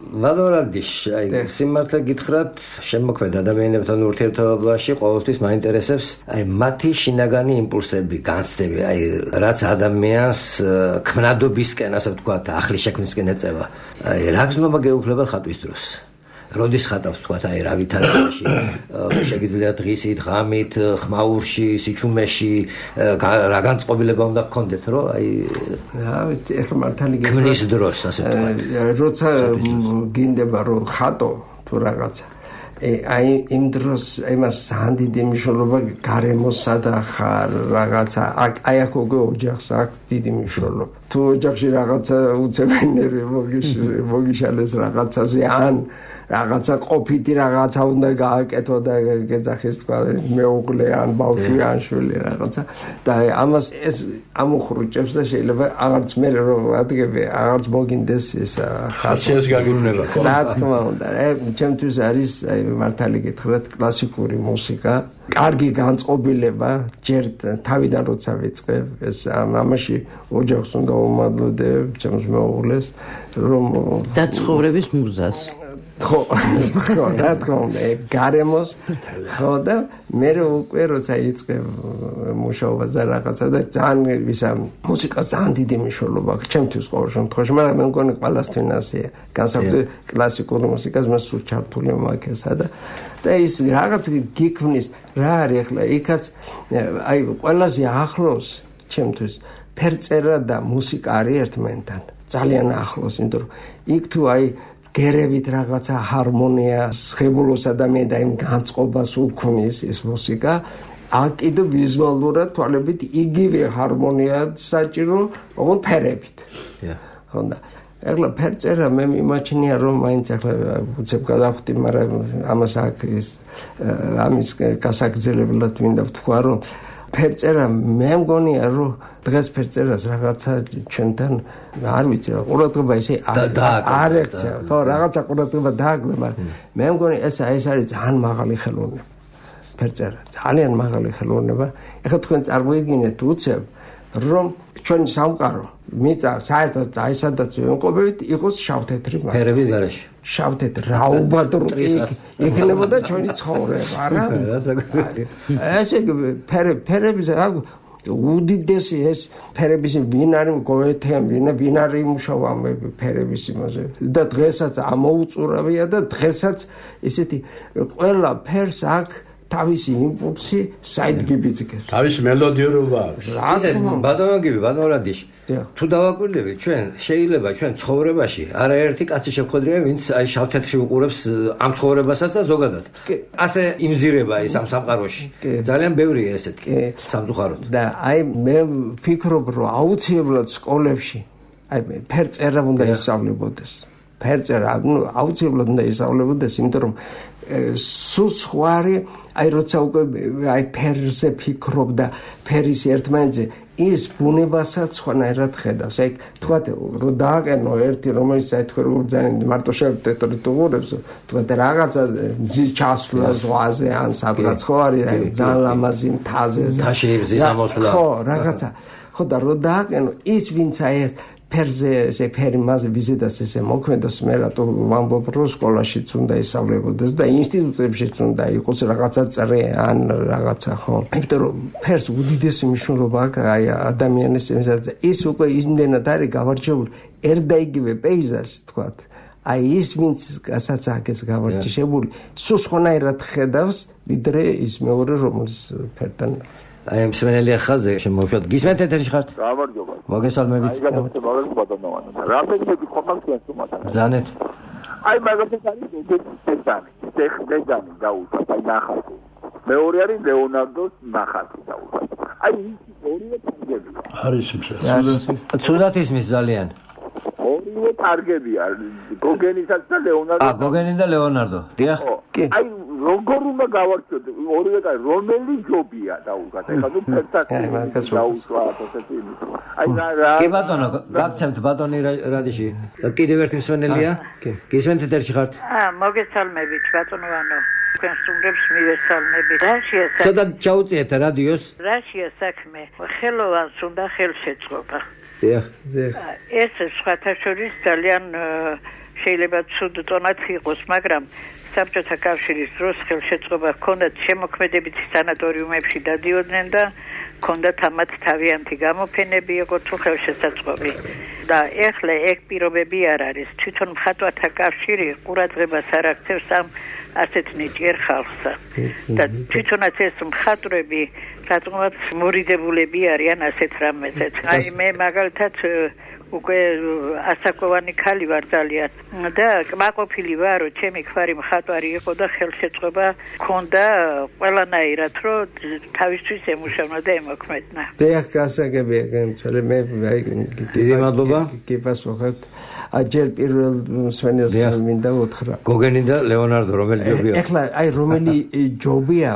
მადლობადიშ აი სიმართლე გითხრათ შემოქმედ ადამიანებთან ურთიერთობაში ყოველთვის მაინტერესებს აი მათი შინაგანი იმპულსები განცდები აი რაც ადამიანს ქმნადობისკენ ასე ვთქვათ ახლის შექმნისკენ ეწევა აი რა გზნობა გეუფლებათ ხატვის დროს როდის ხატავს ვთქვათ აი რა ვითარებაში შეგიძლიათ დღისით ღამით ხმაურში სიჩუმეში რა განწყობილება უნდა გქონდეთ რომ აი რა ვიცი ეხლა მართალი ქმნის დროს ასე ვთქვათ როცა გინდება რომ ხატო თუ რაღაცა აი იმ დროს იმას ძალიან დიდი მნიშვნელობა გარემოსა და ხარ რაღაცა აი აქ უკვე ოჯახს აქვს დიდი მნიშვნელობა თუ ოჯახში რაღაცა უცებენ ნერვი მოგიშალეს რაღაცაზე ან რაღაცა ყოფითი რაღაცა უნდა გააკეთო და გეძახის თქვა მეუღლე ან ბავშვი ან შვილი რაღაცა და ამას ეს ამოხრუჭებს და შეიძლება აღარც მე რომ ადგები აღარც მოგინდეს ეს ხასიათს გაგივნება ხო რა თქმა უნდა ჩემთვის არის აი მართალი გითხრათ კლასიკური მუსიკა კარგი განწყობილება ჯერ თავიდან როცა ვიწყებ ეს ამაში ოჯახს უნდა უმადლოდებ ჩემს მეუღლეს რომ დაცხოვრების მუზას ხო, რა თქმა უნდა, გარემოს ხო და მე უკვე როცა იწყე მუშაობა და რაღაცა და ძალიან ისა მუსიკას ძალიან დიდი მნიშვნელობა აქვს ჩემთვის ყოველ შემთხვევაში, მაგრამ მე მგონი ყველასთვის ასეა. განსაკუთრებით კლასიკური მუსიკას მე სულ ჩართული მაქვს და ის რაღაც გიქმნის რა არის ახლა იქაც აი ყველაზე ახლოს ჩემთვის ფერწერა და მუსიკა არის ერთმანეთთან ძალიან ახლოს, იმიტომ რომ იქ თუ აი გერებით რაღაცა ჰარმონიას, ხებულოსა და მე და იმ განწყობას უქმნის ეს მუსიკა, აქ კიდევ ვიზუალურად თვალებით იგივე ჰარმონია საჭირო, ოღონდ ფერებით. ხონდა. ახლა ფერწერა მე მიმაჩნია რომ მაინც ახლა უცებ გადავხვდი, მაგრამ ამას აქ ის ამის გასაგრძელებლად მინდა ვთქვა რომ ფერწერა მე მგონია რომ დღეს ფერწერას რაღაცა ჩვენთან არ ვიცი რა ყურადღება ისე არ ექცია ხო რაღაცა ყურადღება დააგლე მაგრამ მე მგონი ეს არის ძალიან მაღალი ხელოვნება ფერწერა ძალიან მაღალი ხელოვნება ეხლა თქვენ წარმოიდგინეთ უცებ რომ ჩვენი სამყარო მიწა საერთოდ აი სადაც ვიმყოფებით იყოს შავთეთრი ფერების გარეშე შავთეთრი რაუბადრუტი იქნებოდა ჩვენი ცხოვრება არა ესე ფერების უდიდესი ეს ფერების ვინ არის გოეთემ ვინ არის იმუშავა მე ფერების იმაზე და დღესაც ამოუწურავია და დღესაც ისეთი ყველა ფერს აქ თავისი იმპულსი საიდგიბიძგებს თავისი მელოდიურობა აქვს ბატონო რადიში თუ დავაკვირდებით ჩვენ შეიძლება ჩვენ ცხოვრებაში არაერთი კაცი შევხვედრია ვინც აი შავთეთრში უყურებს ამ ცხოვრებასაც და ზოგადად ასე იმზირება ის ამ სამყაროში ძალიან ბევრია ესეთი სამწუხაროდ და აი მე ვფიქრობ რომ აუცილებლად სკოლებში აი ფერწერა უნდა ისწავლებოდეს ფერწერა აუცილებლად უნდა ისწავლებოდეს იმიტომ რომ სულ სხვარი აი როცა უკვე აი ფერზე ფიქრობ და ფერის ერთმანეთზე ის ბუნებასაც სხვანაირად ხედავს. აი თქვათ რომ დააყენო ერთი რომელიც აი თქვენ ძალიან მარტო შევტეტრი თუღურებს თქვათ რაღაცა მზის ჩასვლა ზღვაზე ან სადღაც ხო არის აი ძალიან ლამაზი მთაზე მზის ამოსვლა ხო რაღაცა ხო და რომ დააყენო ის ვინც აი ფერზე ესე ფერი მასე ვიზიტას ესე მოქმედოს მე რატო ვამბობ რომ სკოლაშიც უნდა ისწავლებოდეს და ინსტიტუტებშიც უნდა იყოს რაღაცა წრე ან რაღაცა ხო იმიტომ რომ ფერს უდიდესი მნიშვნელობა აქვს აი ადამიანის ის უკვე იმდენად არის გავარჯიშებული ერთა იგივე პეიზაჟი თქვათ აი ის ვინც გასაც აქ ეს გავარჯიშებული სულ სხვანაირად ხედავს ვიდრე ის მეორე რომელიც ფერთან აი მსმენელი ხაზე შემოვშოთ გისმენთ ეთერში ხართ გამარჯობა მოგესალმებით აი გადაცემავენ ბატონოვანი რამე გიყოფალს თუმცა ზანეთ აი მაგათაც არის დედანი დაუშვათ აი ნახატი მეორე არის ლეონარდოს ნახატი დაუშვათ აი ორივე კარგებია არის სიმშრალე ცუდად ისმის ძალიან ორივე კარგებია გოგენისაც და ლეონარდო გოგენი და ლეონარდო დიახ აი როგორ უნდა გავარჩიოთ ორივე კარი რომელი ჯობია დაუშვათ ეხლა ნუ ფერტაკი დაუშვათ ასეთი აი რა კი ბატონო გაგცემთ ბატონი რადიში კიდევ ერთი მსმენელია გისმენთ ეთერში ხართ მოგესალმებით ბატონოვანო თქვენ სტუმრებს მივესალმებით რაშია საქმე ცოტა ჩაუწიეთ რადიოს რაშია საქმე ხელოვანს უნდა ხელშეწყობა დიახ ეს სხვათა შორის ძალიან შეიძლება ცუდ ტონად იყოს მაგრამ საბჭოთა კავშირის დროს ხელშეწყობა ჰქონდათ შემოქმედებითი სანატორიუმებში დადიოდნენ და ჰქონდათ ამათ თავიანთი გამოფენები იყო თუ ხელშესაწყობი და ეხლა ეგ პირობები არ არის თვითონ მხატვართა კავშირი ყურადღებას არ აქცევს ამ ასეთ ნიჭიერ ხალხსა და თვითონაც ეს მხატვრები რატომაც მორიდებულები არიან ასეთ რამეზეც აი მე მაგალითად უკვე ასაკოვანი ქალი ვარ ძალიან და კმაყოფილი ვარ რომ ჩემი ქმარი მხატვარი იყო და ხელშეწყობა ჰქონდა ყველანაირად რომ თავისთვის ემუშავნა და ემოქმედნა დიახ გასაგებია განცალე მე აი დიდი მადლობა გიპასუხებთ აჯერ პირველ მსმენელს მინდა უთხრა გოგენი და ლეონარდო რომელი ჯობია ეხლა აი რომელი ჯობია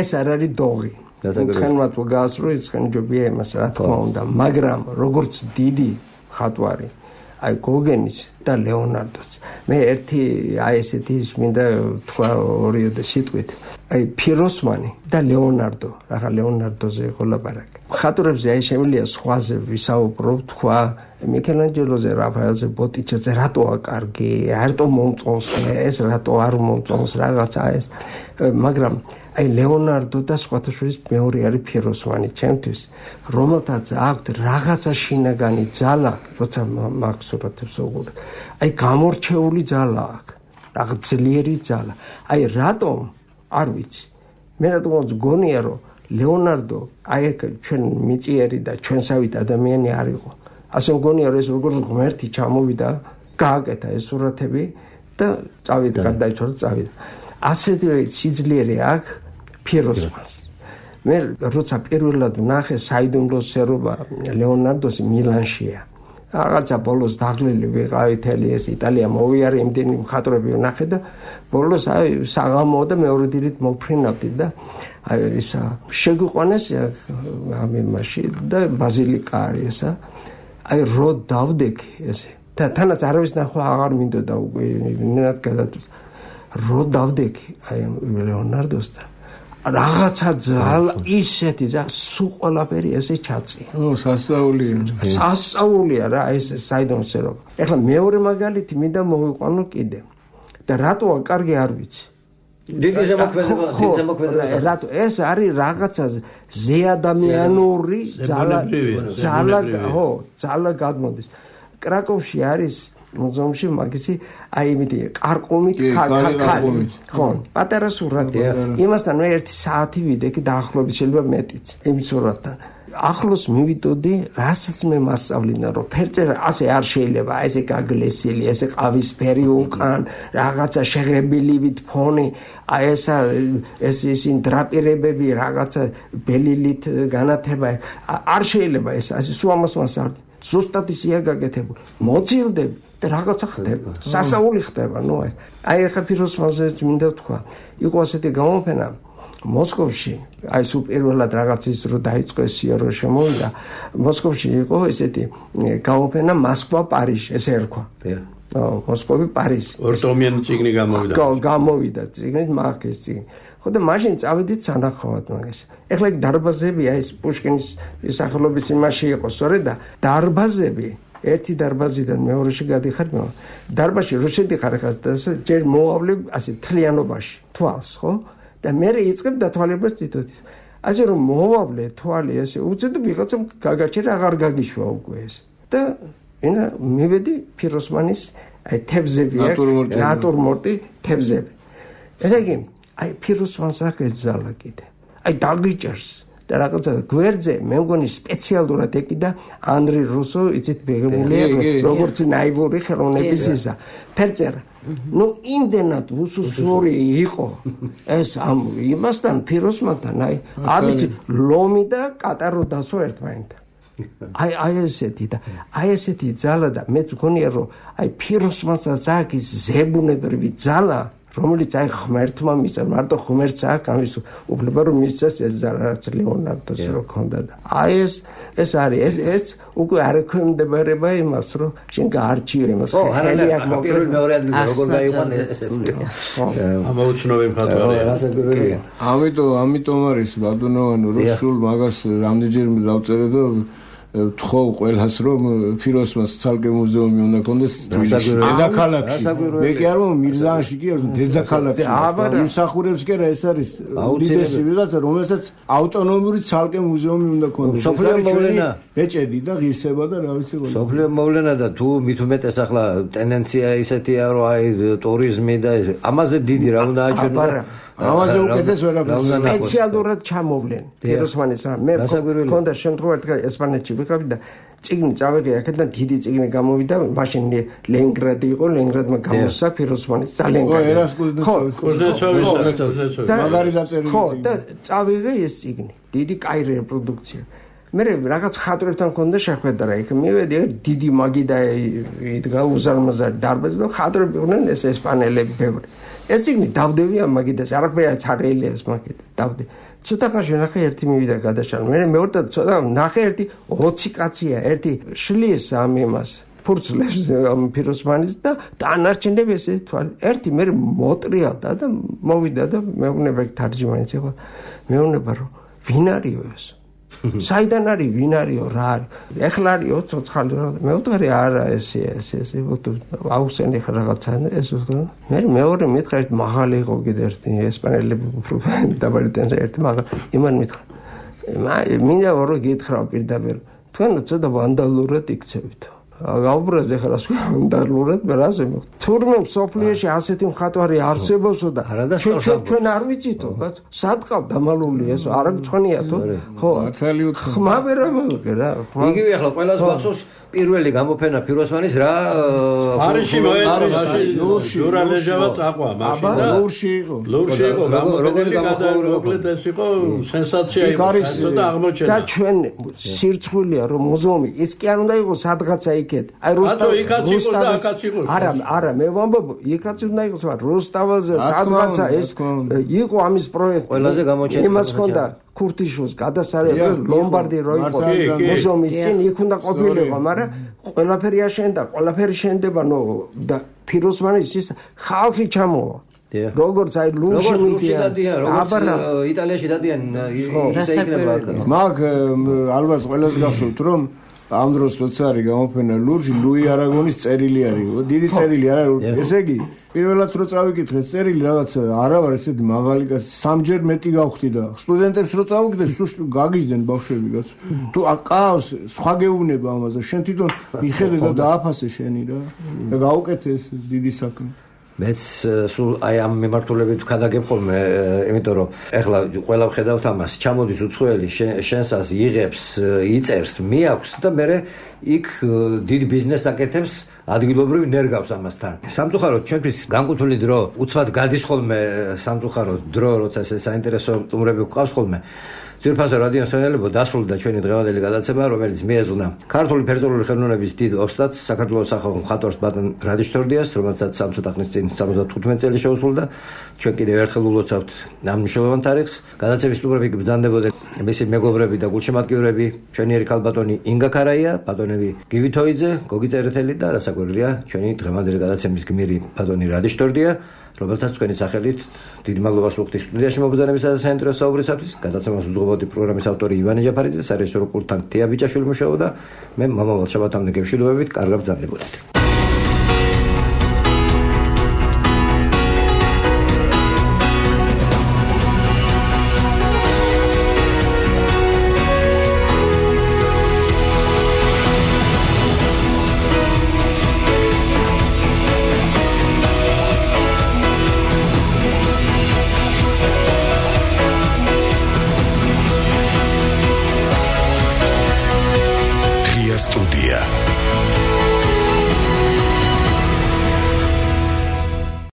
ეს არ არის დოღი ცხენმათ ვგასრო ცხენ ჯობია იმას რა თქმა უნდა მაგრამ როგორც დიდი ხატვარი აი გოგენის და ლეონარდოც მე ერთი აი ესეთი მინდა თქვა ორიოდე სიტყვით აი ფიროსმანი და ლეონარდო ახლა ლეონარდოზე იყო ლაპარაკი ხატურებზე აი შემიძლია სხვაზე ვისაუბრო, თქვა მიქელანჯელოზე, რაფაელზე, ბოტიჩეზე რატო აკარგი, რატო მომწონს ეს, რატო არ მომწონს რაღაცა ეს, მაგრამ აი ლეონარდო და სხვათა შორის მეორე არის ფიროსმანი ჩემთვის, რომელთაც აქვს რაღაცა შინაგანი ძალა, როცა მაგ სურათებს ვუყურებ. აი გამორჩეული ძალა აქვს, რაღაც ძლიერი ძალა. აი რატომ არ ვიცი. მე რატომ გონია რომ ლეონარდო აი ჩვენ მიწიერი და ჩვენსავით ადამიანი არ იყო. ასე მგონია რომ ეს როგორც ღმერთი ჩამოვიდა, გააკეთა ეს სურათები და წავიდა, გარდაიცვალა და წავიდა. ასეთივე სიძლიერე აქვს ფიროსმანს. მე როცა პირველად ვნახე საიდუმლო სერობა ლეონარდოს მილანშია. რაღაცა ბოლოს დაღლილი ვიყავი თელი ეს იტალია მოვიარე იმდენი მხატვრები ვნახე და ბოლოს აი საღამო და მეორე დილით მოფრინავდი და აი ისა შეგვიყვანეს ამემაში და ბაზილიკა არის ესა აი რო დავდექი ესე და თანაც არავის ნახვა აღარ მინდოდა უკვე ნინად გადაწყვეტ რო დავდექი აი ლეონარდოს და რაღაცა ძალა ისეთი და სულ ყველაფერი ესე ჩაწია. სასწაულია რა ეს საიდუმლო. ეხლა მეორე მაგალითი მინდა მოვიყვანო კიდე. და რატოა კარგი არ ვიცი. დიდი ზემოქმედება. რატო ეს არის რაღაცა ზეადამიანური ძალა გადმოდის. კრაკოვში არის მუზეუმში მაგისი აი იმითი ყარყუმით ქალი ხო პატარა სურათია იმასთან მე 1 საათი ვიდექი დაახლოებით შეიძლება მეტიც იმ სურათთან ახლოს მივიდოდი რასაც მე მასწავლინა რომ ფერწერა ასე არ შეიძლება ესე გაგლესილი ესე ყავისფერი უკან რაღაცა შეღებილივით ფონი აი ეს ისინი დრაპირებები რაღაცა ბელილით განათება არ შეიძლება ეს ასე სულ ამას მასწავლი ზუსტად ისია გაკეთებული მოძილდები და რაღაცა ხდება. სასაული ხდება, ნუ აი ახლა ფიროსმანზეც მინდა თქვა. იყო ასეთი გამოფენა მოსკოვში, აი სულ პირველად რაღაცის რო დაიწყო სიარო შემოვიდა. მოსკოვში იყო ესეთი გამოფენა მოსკვა პარიჟი, ესე ერქვა. მოსკოვი პარიზი. ორტომიანი წიგნი გამოვიდა. გამოვიდა წიგნით მაგის წიგნი. ხო და მაშინ წავედით სანახავად მაგას. ეხლა იქ დარბაზები აი ეს პუშკინის სახელობის იმაში იყო, სწორედ და დარბაზები ერთი დარბაზიდან მეორეში გადიხარ მე. დარბაზში რო შედიხარ ხა ჯერ მოავლე ასე თლიანობაში თვალს, ხო? და მე იწყებ დათვალებას თვითონ. ასე რომ მოავლე თვალი ასე უწევ და ვიღაცამ გაგაჩერა აღარ გაგიშვა უკვე ეს. და ენა მივედი ფიროსმანის აი თევზები ნატურმორტი თევზები. ესე იგი აი ფიროსმანს აქვს ძალა კიდე. აი დაგიჭერს და რაღაცა გვერდზე მე მგონი სპეციალურად ეკიდა ანდრი რუსო იცით მიღებულია როგორც ნაივური ხელოვნების ისა ფერწერა ნუ იმდენად უსუსური იყო ეს ამ იმასთან ფიროსმანთან არ ვიცი ლომი და კატარო დასო ერთმანეთთან აი ესეთი და აი ესეთი ძალა და მეც მგონია რომ აი ფიროსმანსაც აქვს ის ზებუნებრივი ძალა რომელიც აი ღმერთმა მისცა მარტო ღმერთს აქვს ამის უფლება რომ მისცეს ეს რაღაც ლეონარდოს რო ქონდა და აი ეს არის ეს უკვე არ ექვემდებარება იმას რომ შენ გაარჩიო იმას ხელი აქვს პირველ მეორე ადგილზე როგორ გაიყვანე ესეთი ამოუცნობი მხატვარია ამიტომ არის ბადუნოვანი რომ სულ მაგას რამდენჯერმე დავწერე და თხოვ ყველას რომ ფიროსმანს ცალკე მუზეუმი უნდა კონდეს დედაქალაქში მე კი არ ვამბობ მირზაანში კი არ დედაქალაქში იმსახურებს კი რა ეს არის უდიდესი ვიღაცა რომელსაც ავტონომიური ცალკე მუზეუმი უნდა კონდეს სოფლიო მოვლენა ბეჭედი და ღირსება და რა ვიცი სოფლიო მოვლენა და თუ მით უმეტეს ახლა ტენდენცია ისეთია რომ აი ტურიზმი და ამაზე დიდი რა უნდა აჩვენო ამაზე უკეთეს ვერაფერს სპეციალურად ჩამოვლენ ფიროსმანის მე მქონდა შემთხვევა ერთხელ ესპანეთში ვიყავი და წიგნი წავეღე აქედან დიდი წიგნი გამოვიდა მაშინ ლენინგრადი იყო ლენინგრადმა გამოსცა ფიროსმანის ძალიან კარგი მაგარი დაწერილი ხო და წავეღე ეს წიგნი დიდი კაი რეპროდუქცია მე რაღაც ხატრებთან მქონდა შეხვედრა იქ მივედი დიდი მაგი და იდგა უზარმაზარი დარბაზი და ხატრები იყვნენ ეს ესპანელები ბევრი ეს წიგნი დავდევი ამ მაგიდას არაფერი ჩარეილია ეს მაგიდა დავდე ცოტა ხანში ნახე ერთი მივიდა გადაშალა მე მეორე და ცოტა ნახე ერთი 20 კაცია ერთი შლის ამ იმას ფურცლებს ამ ფიროსმანის და დანარჩენები ესე თვალი ერთი მე მოტრიალდა და მოვიდა და მეუბნება თარჯიმანიც იყო მეუბნება რომ ვინ არისო ეს საიდან არის, ვინ არისო, რა არის? ეხლა არის 20 ხალი რა. მე ვთქვი არა ესე აუხსენი ხა რაღაცა ეს ვთქვი. მე მეორე მითხრა მაღალი იყო კიდე ერთი ესპანელები უფრო დაბალი ტენზე ერთი მაღალი. იმან მითხრა. მინდა ორი გითხრა პირდაპირ. თქვენ ცოტა ვანდალურად იქცევით. გაუბრაზ ეხლა ვანდალურად რაზე თურმე სოფლიოში ასეთი მხატვარი არსებობსო და ჩვენ არ ვიცითო სად ყავ დამალული ეს არ გწონიათო ხო ხმა ვერ ამოვიღე რა იგივე ახლა ყველას ვახსოვს პირველი გამოფენა ფიროსმანის რა ფარიში მოეწყო ჟურნალეჟავა წაყვა მაშინ და ლურში იყო გამოფენილი გადაუკლეთ ეს იყო სენსაცია იყო და აღმოჩენა და ჩვენ სირცხვილია რომ მუზეუმი ის კი არ უნდა იყოს სადღაცა იქეთ აი არა მე ვამბობ იქაც უნდა იყოს რუსთაველზე სადღაცა ეს იყო ამის პროექტი ყველაზე გამოჩენილი იმას ხონდა ქურთიშოს გადასარევი ლომბარდი რო იყო მუზეუმის წინ იქ უნდა ყოფილიყო მაგრამ ყველაფერი აშენდა ყველაფერი შენდება ნო და ფიროსმანის ის ხალხი ჩამოვა როგორც აი ლურში მიდიან აბარა იტალიაში დადიან ისე იქნება მაგ ალბათ ყველას გახსოვთ რომ ამ დროს როცა არის გამოფენა ლურში ლუი არაგონის წერილი არის დიდი წერილი არა ესე იგი პირველად რო წავიკითხე წერილი რაღაცა არა ვარ ესეთი მაღალი კაცი სამჯერ მეტი გავხდი და სტუდენტებს რო წავიკითხე სულ გაგიჟდნენ ბავშვები კაცო თუ აკავს სხვა გეუბნება ამაზე შენ თვითონ მიხედე და დააფასე შენი რა და გაუკეთე ეს დიდი საქმე მეც სულ აი ამ მიმართულებით ვქადაგებ ხოლმე იმიტომ რომ ეხლა ყველა ვხედავთ ამას ჩამოდის უცხოელი შენსას იღებს იწერს მიაქვს და მე იქ დიდ ბიზნესს აკეთებს ადგილობრივ ნერგავს ამასთან სამწუხაროდ ჩვენთვის განკუთვნილი დრო უცბად გადის ხოლმე სამწუხაროდ დრო როცა ეს საინტერესო სტუმრები გვყავს ხოლმე ძვირფასო რადიო მსმენელებო დასრულდა ჩვენი დღევანდელი გადაცემა რომელიც მიეძღვნა ქართული ფერწერული ხელოვნების დიდ ოსტატს საქართველოს სახალხო მხატვარს ბატონ რადიშ თორდიას რომელსაც სამწუხაროდ ახნის წინ 75 წელი შეუსრულდა ჩვენ კიდევ ერთხელ ულოცავთ ამ მნიშვნელოვან თარიღს გადაცემის სტუმრები ბრძანდებოდნენ მისი მეგობრები და გულშემატკივრები ჩვენიერი ქალბატონი ინგა ქარაია ბატონები გივი თოიძე გოგი წერეთელი და რასაკვირველია ჩვენი დღევანდელი გადაცემის გმირი ბატონი რადიშ თორდია რომელთაც თქვენი სახელით დიდი მადლობას ვუხდით სტუდიაში მოგზაურობისა და საინტერესო საუბრისათვის. გადაცემას უძღვებოდი პროგრამის ავტორი ივანე ჯაფარიძე, სარეჟისორო პულტთან თია ბიჭაშვილი მუშაობდა. მე მომავალ შაბათამდე გემშვიდობებით, კარგად ბრძანდებოდეთ. Студия.